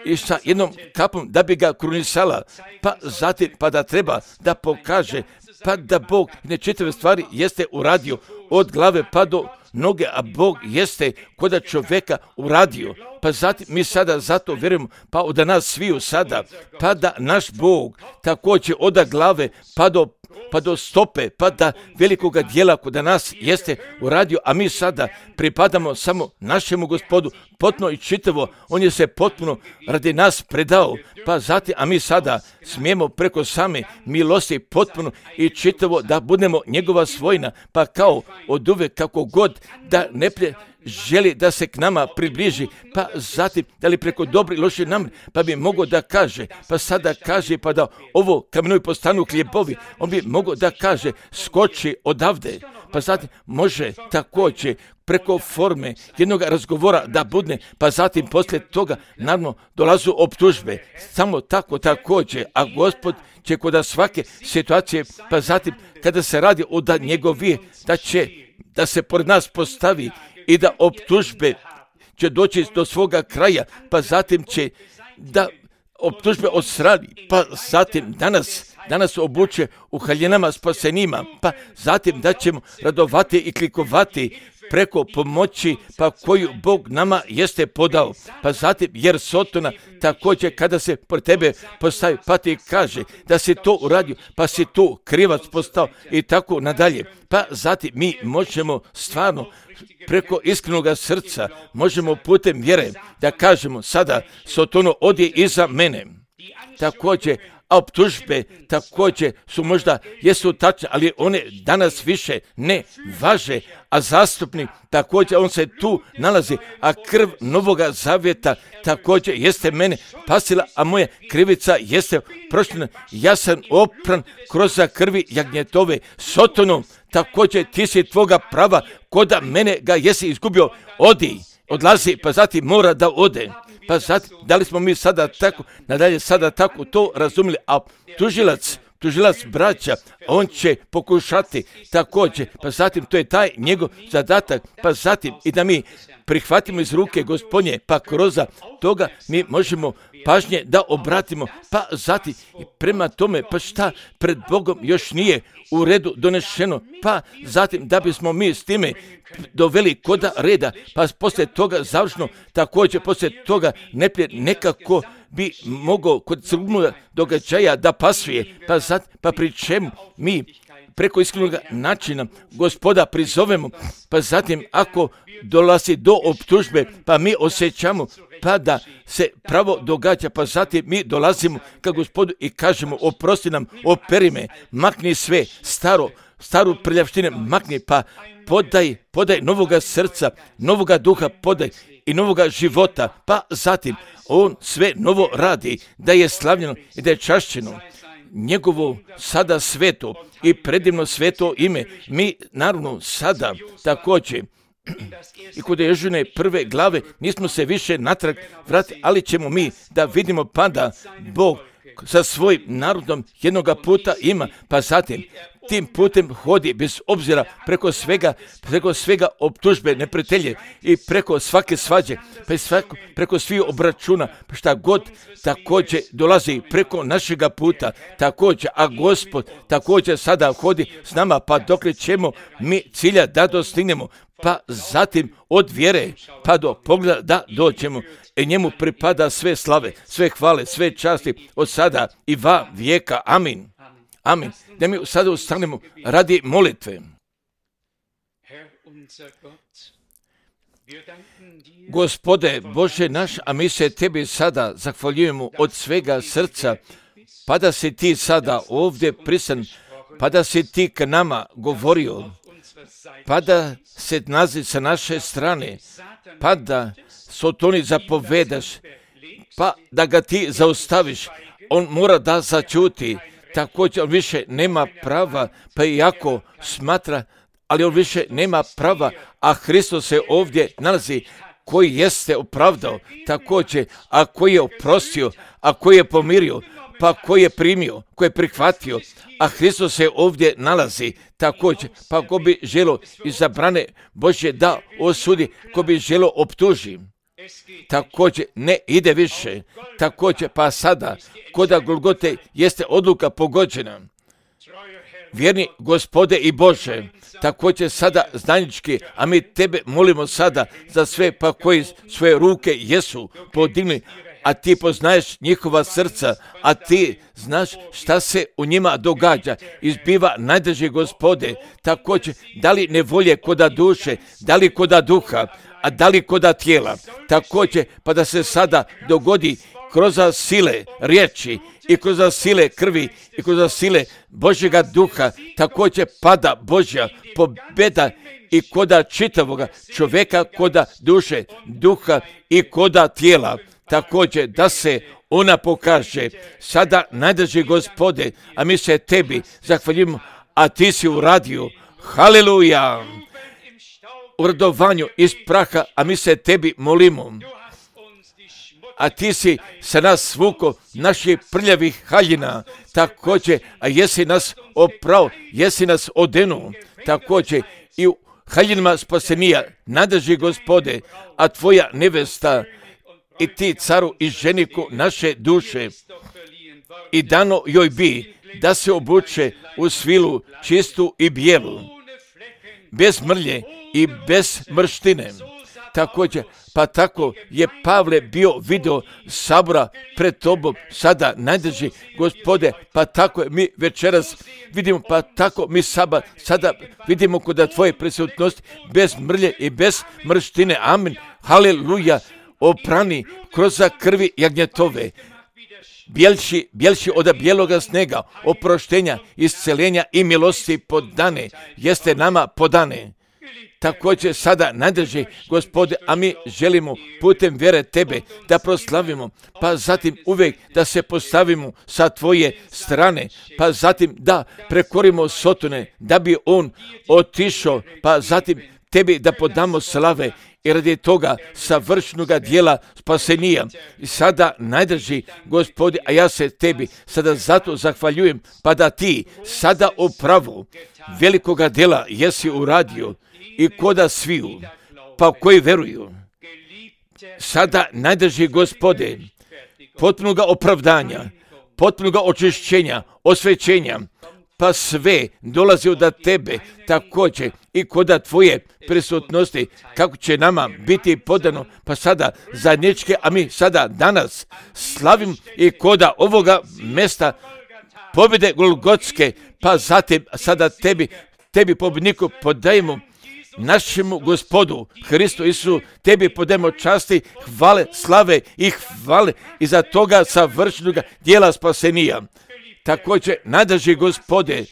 i sa jednom kapom da bi ga krunisala, pa zatim pa da treba da pokaže, pa da Bog nečitave stvari jeste uradio od glave pa do noge, a Bog jeste koda čovjeka uradio. Pa zatim mi sada zato vjerujemo, pa od nas sviju sada, pa da naš Bog također od glave pa do stope, pa da velikoga dijela kod nas jeste uradio, a mi sada pripadamo samo našemu Gospodu, potpuno i čitavo, on je se potpuno radi nas predao, pa zatim, a mi sada smijemo preko same milosti potpuno i čitavo da budemo njegova svojina, pa kao od uvek kako god da ne želi da se k nama približi, pa zatim da li preko dobri loši namjeri, pa bi mogao da kaže, pa sada kaže, pa da ovo kamenoj postanu hljebovi, on bi mogu da kaže skoči odavde, pa zatim može također preko forme jednog razgovora da budne, pa zatim poslije toga naravno dolazu optužbe, samo tako također, a Gospod će kod svake situacije, pa zatim kada se radi o da njegovije, da će da se pored nas postavi i da optužbe će doći do svoga kraja, pa zatim će da optužbe odstrani, pa zatim danas obuče u haljinama spasenima, pa zatim da ćemo radovati i klikovati preko pomoći pa koju Bog nama jeste podao, pa zatim jer Sotona također kada se pored tebe postavi pa ti kaže da si to uradio, pa si tu krivac postao i tako nadalje, pa zatim mi možemo stvarno preko iskrenog srca, možemo putem vjere da kažemo sada Sotono odi iza mene. Također, a optužbe također su možda jesu tačne, ali one danas više ne važe, a zastupnik također on se tu nalazi, a krv Novoga Zavjeta također jeste mene pasila, a moja krivica jeste prošljena. Ja sam opran kroz krvi jagnjetove. Sotono, također ti si tvoga prava, koda mene ga jesi izgubio, odi, odlazi, pa zatim mora da ode. Pa zatim, da li smo mi sada tako, nadalje sada tako to razumjeli, a tužilac braća, on će pokušati također, pa zatim to je taj njegov zadatak, pa zatim i da mi prihvatimo iz ruke Gospodnje, pa kroz toga mi možemo pažnje da obratimo, pa zatim i prema tome, pa šta pred Bogom još nije u redu donešeno, pa zatim da bismo mi s time doveli koda reda, pa poslije toga završno, također poslije toga nekako bi mogao kod crnog događaja da pasuje, pa pri čemu mi preko iskrenog načina Gospoda prizovemo, pa zatim ako dolazi do optužbe, pa mi osjećamo pa da se pravo događa, pa zatim mi dolazimo ka Gospodu i kažemo oprosti nam, operi me, makni sve staru prljavštine, makni, pa podaj novoga srca, novoga duha, podaj i novoga života, pa zatim on sve novo radi, da je slavljeno i da je čašćeno njegovo sada sveto i predivno sveto ime. Mi naravno sada također i kod Jožine prve glave nismo se više natrag vratili, ali ćemo mi da vidimo pa da Bog sa svojim narodom jednoga puta ima, pa zatim tim putem hodi bez obzira preko svega optužbe neprijatelje i preko svake svađe, preko svih obračuna, šta god također dolazi preko našega puta također, a Gospod također sada hodi s nama, pa dokle ćemo mi cilja da dostignemo, pa zatim od vjere pa do pogleda da dođemo. I njemu pripada sve slave, sve hvale, sve časti od sada i va vijeka. Amin. Amin. Da mi sada ustanemo radi molitve. Gospode Bože naš, a mi se tebi sada zahvaljujemo od svega srca, pa da si ti sada ovdje prisan, pa da si ti k nama govorio, pa da se nazi sa naše strane, pa da Sotoni zapovedaš, pa da ga ti zaustaviš, on mora da začuti, također on više nema prava, pa iako smatra, ali on više nema prava, a Hristos se ovdje nalazi, koji jeste opravdao, također, a koji je oprostio, a koji je pomirio, pa koji je primio, koji je prihvatio, a Hristos se ovdje nalazi također, pa ko bi želo izabrane Božje da osudi, ko bi želo optuži. Također ne ide više, također pa sada, koda Golgote jeste odluka pogođena. Vjerni Gospode i Bože, također sada znanički, a mi tebe molimo sada za sve pa koji svoje ruke jesu podigli, a ti poznaješ njihova srca, a ti znaš šta se u njima događa, izbiva najdrži Gospode, također da li nevolje koda duše, da li koda duha, a da li koda tijela, također pa da se sada dogodi kroz sile riječi i kroz sile krvi i kroz sile Božjega duha, također pada Božja pobjeda i koda čitavoga čovjeka, koda duše, duha i koda tijela, također da se ona pokaže. Sada, najdraži Gospode, a mi se tebi zahvaljujemo, a ti si uradio. Haleluja! U radovanju iz praha, a mi se tebi molimo. A ti si sa nas svuko naših prljavih haljina, također, a jesi nas oprao, jesi nas odenuo, također i u haljinama spasenija, nadrži Gospode, a tvoja nevesta i ti caru i ženiku naše duše, i dano joj bi da se obuče u svilu čistu i bijelu, bez mrlje i bez mrštine. Također, pa tako je Pavle bio video sabora pred tobom, sada najdrži Gospode, pa tako mi večeras vidimo, pa tako mi sada vidimo kod tvoje prisutnosti, bez mrlje i bez mrštine. Amen. Haleluja. Oprani kroz krvi jagnjetove, bjelši od bijeloga snega, oproštenja, isceljenja i milosti podane, jeste nama podane. Također sada nadrži Gospode, a mi želimo putem vjere tebe da proslavimo, pa zatim uvijek da se postavimo sa tvoje strane, pa zatim da prekorimo Sotone, da bi on otišao, pa zatim tebi da podamo slave i radi toga savršenoga dijela spasenija. I sada najdrži Gospode, a ja se tebi sada zato zahvaljujem, pa da ti sada u pravu velikoga dijela jesi uradio i koda sviju, pa koji veruju. Sada najdrži Gospode potpunoga opravdanja, potpunoga očišćenja, osvećenja, pa sve dolazi od tebe, također i koda tvoje prisutnosti, kako će nama biti podano, pa sada zajedničke, a mi sada danas slavim i koda ovoga mesta pobjede Golgotske, pa zatim sada tebi pobjedniku podajemo, našemu Gospodu Hristu Isusu, tebi podajemo časti, hvale, slave i hvale iza toga savršenog dijela spasenija. Također, nadrži Gospode,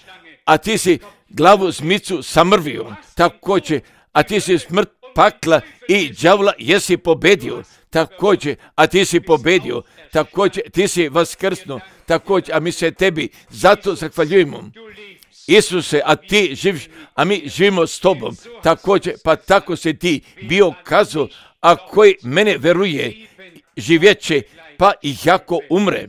a ti si glavu zmicu samrvio, također, a ti si smrt, pakla i đavla jesi pobedio, također, a ti si pobedio, također, ti si vaskrsno, također, a mi se tebi zato zahvaljujemo. Isuse, a ti živiš, a mi živimo s tobom, također, pa tako se ti bio kazao, a koji mene veruje, živjeće, pa i jako umre.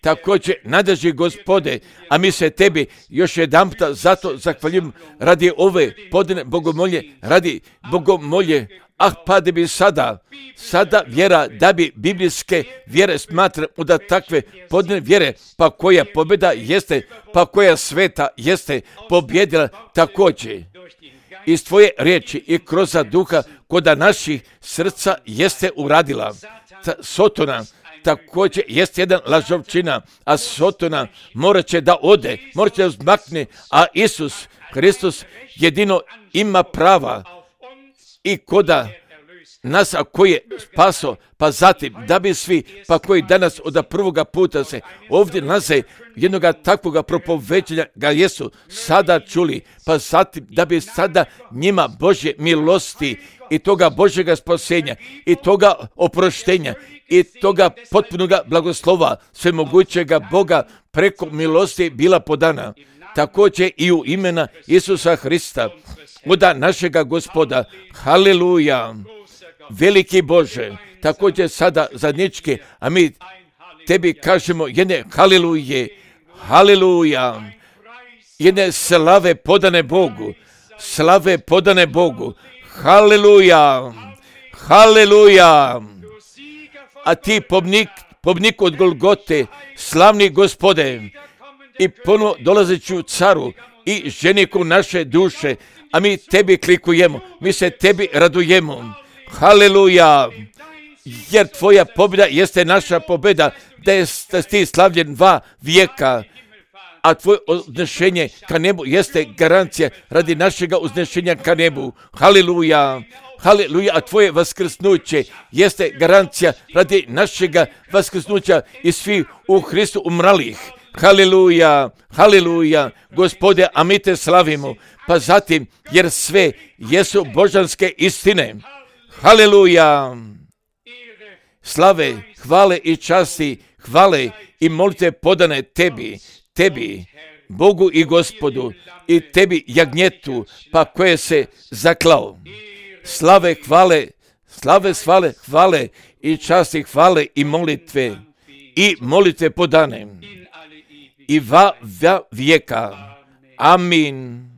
Također, nadrži Gospode, a mi se tebi još jedanputa zato zahvaljujemo radi ove podane bogomolje, radi bogomolje, pa da bi sada vjera, da bi biblijske vjere smatra da takve podane vjere, pa koja pobjeda jeste, pa koja sveta jeste pobjedila također. Iz tvoje riječi i kroz duha koda naših srca jeste uradila. Sotona također jest jedan lažovčina, a Sotona morat će da ode, morat će da uzmakne, a Isus Hristos jedino ima prava i koda nas, a koji je spaso, pa zatim da bi svi, pa koji danas od prvoga puta se ovdje nalaze jednoga takvoga propoveđenja ga jesu sada čuli, pa zatim da bi sada njima Božje milosti i toga Božjega spasenja i toga oproštenja i toga potpunoga blagoslova svemogućega Boga preko milosti bila podana. Također i u imena Isusa Hrista, oda našega Gospoda. Haleluja! Veliki Bože, također sada zadnjički, a mi tebi kažemo jedne haleluje, haleluja, jedne slave podane Bogu, slave podane Bogu, haleluja, haleluja. A ti pobnik od Golgote, slavni Gospode, i ponovo dolazeću caru i ženiku naše duše, a mi tebi klikujemo, mi se tebi radujemo. Haleluja, jer tvoja pobjeda jeste naša pobjeda, da si ti slavljen 2 vijeka, a tvoje uznešenje ka nebu jeste garancija radi našega uznešenja ka nebu. Haleluja, haleluja, a tvoje vaskrsnuće jeste garancija radi našega vaskrsnuća i svih u Hristu umralih. Haleluja, haleluja, Gospode, a mi te slavimo, pa zatim, jer sve jesu božanske istine. Haleluja, slave, hvale i časti, hvale i molite podane tebi, Bogu i Gospodu, i tebi jagnjetu, pa koje se zaklao. Slave, hvale i časti, hvale i molitve podane i va vijeka. Amin.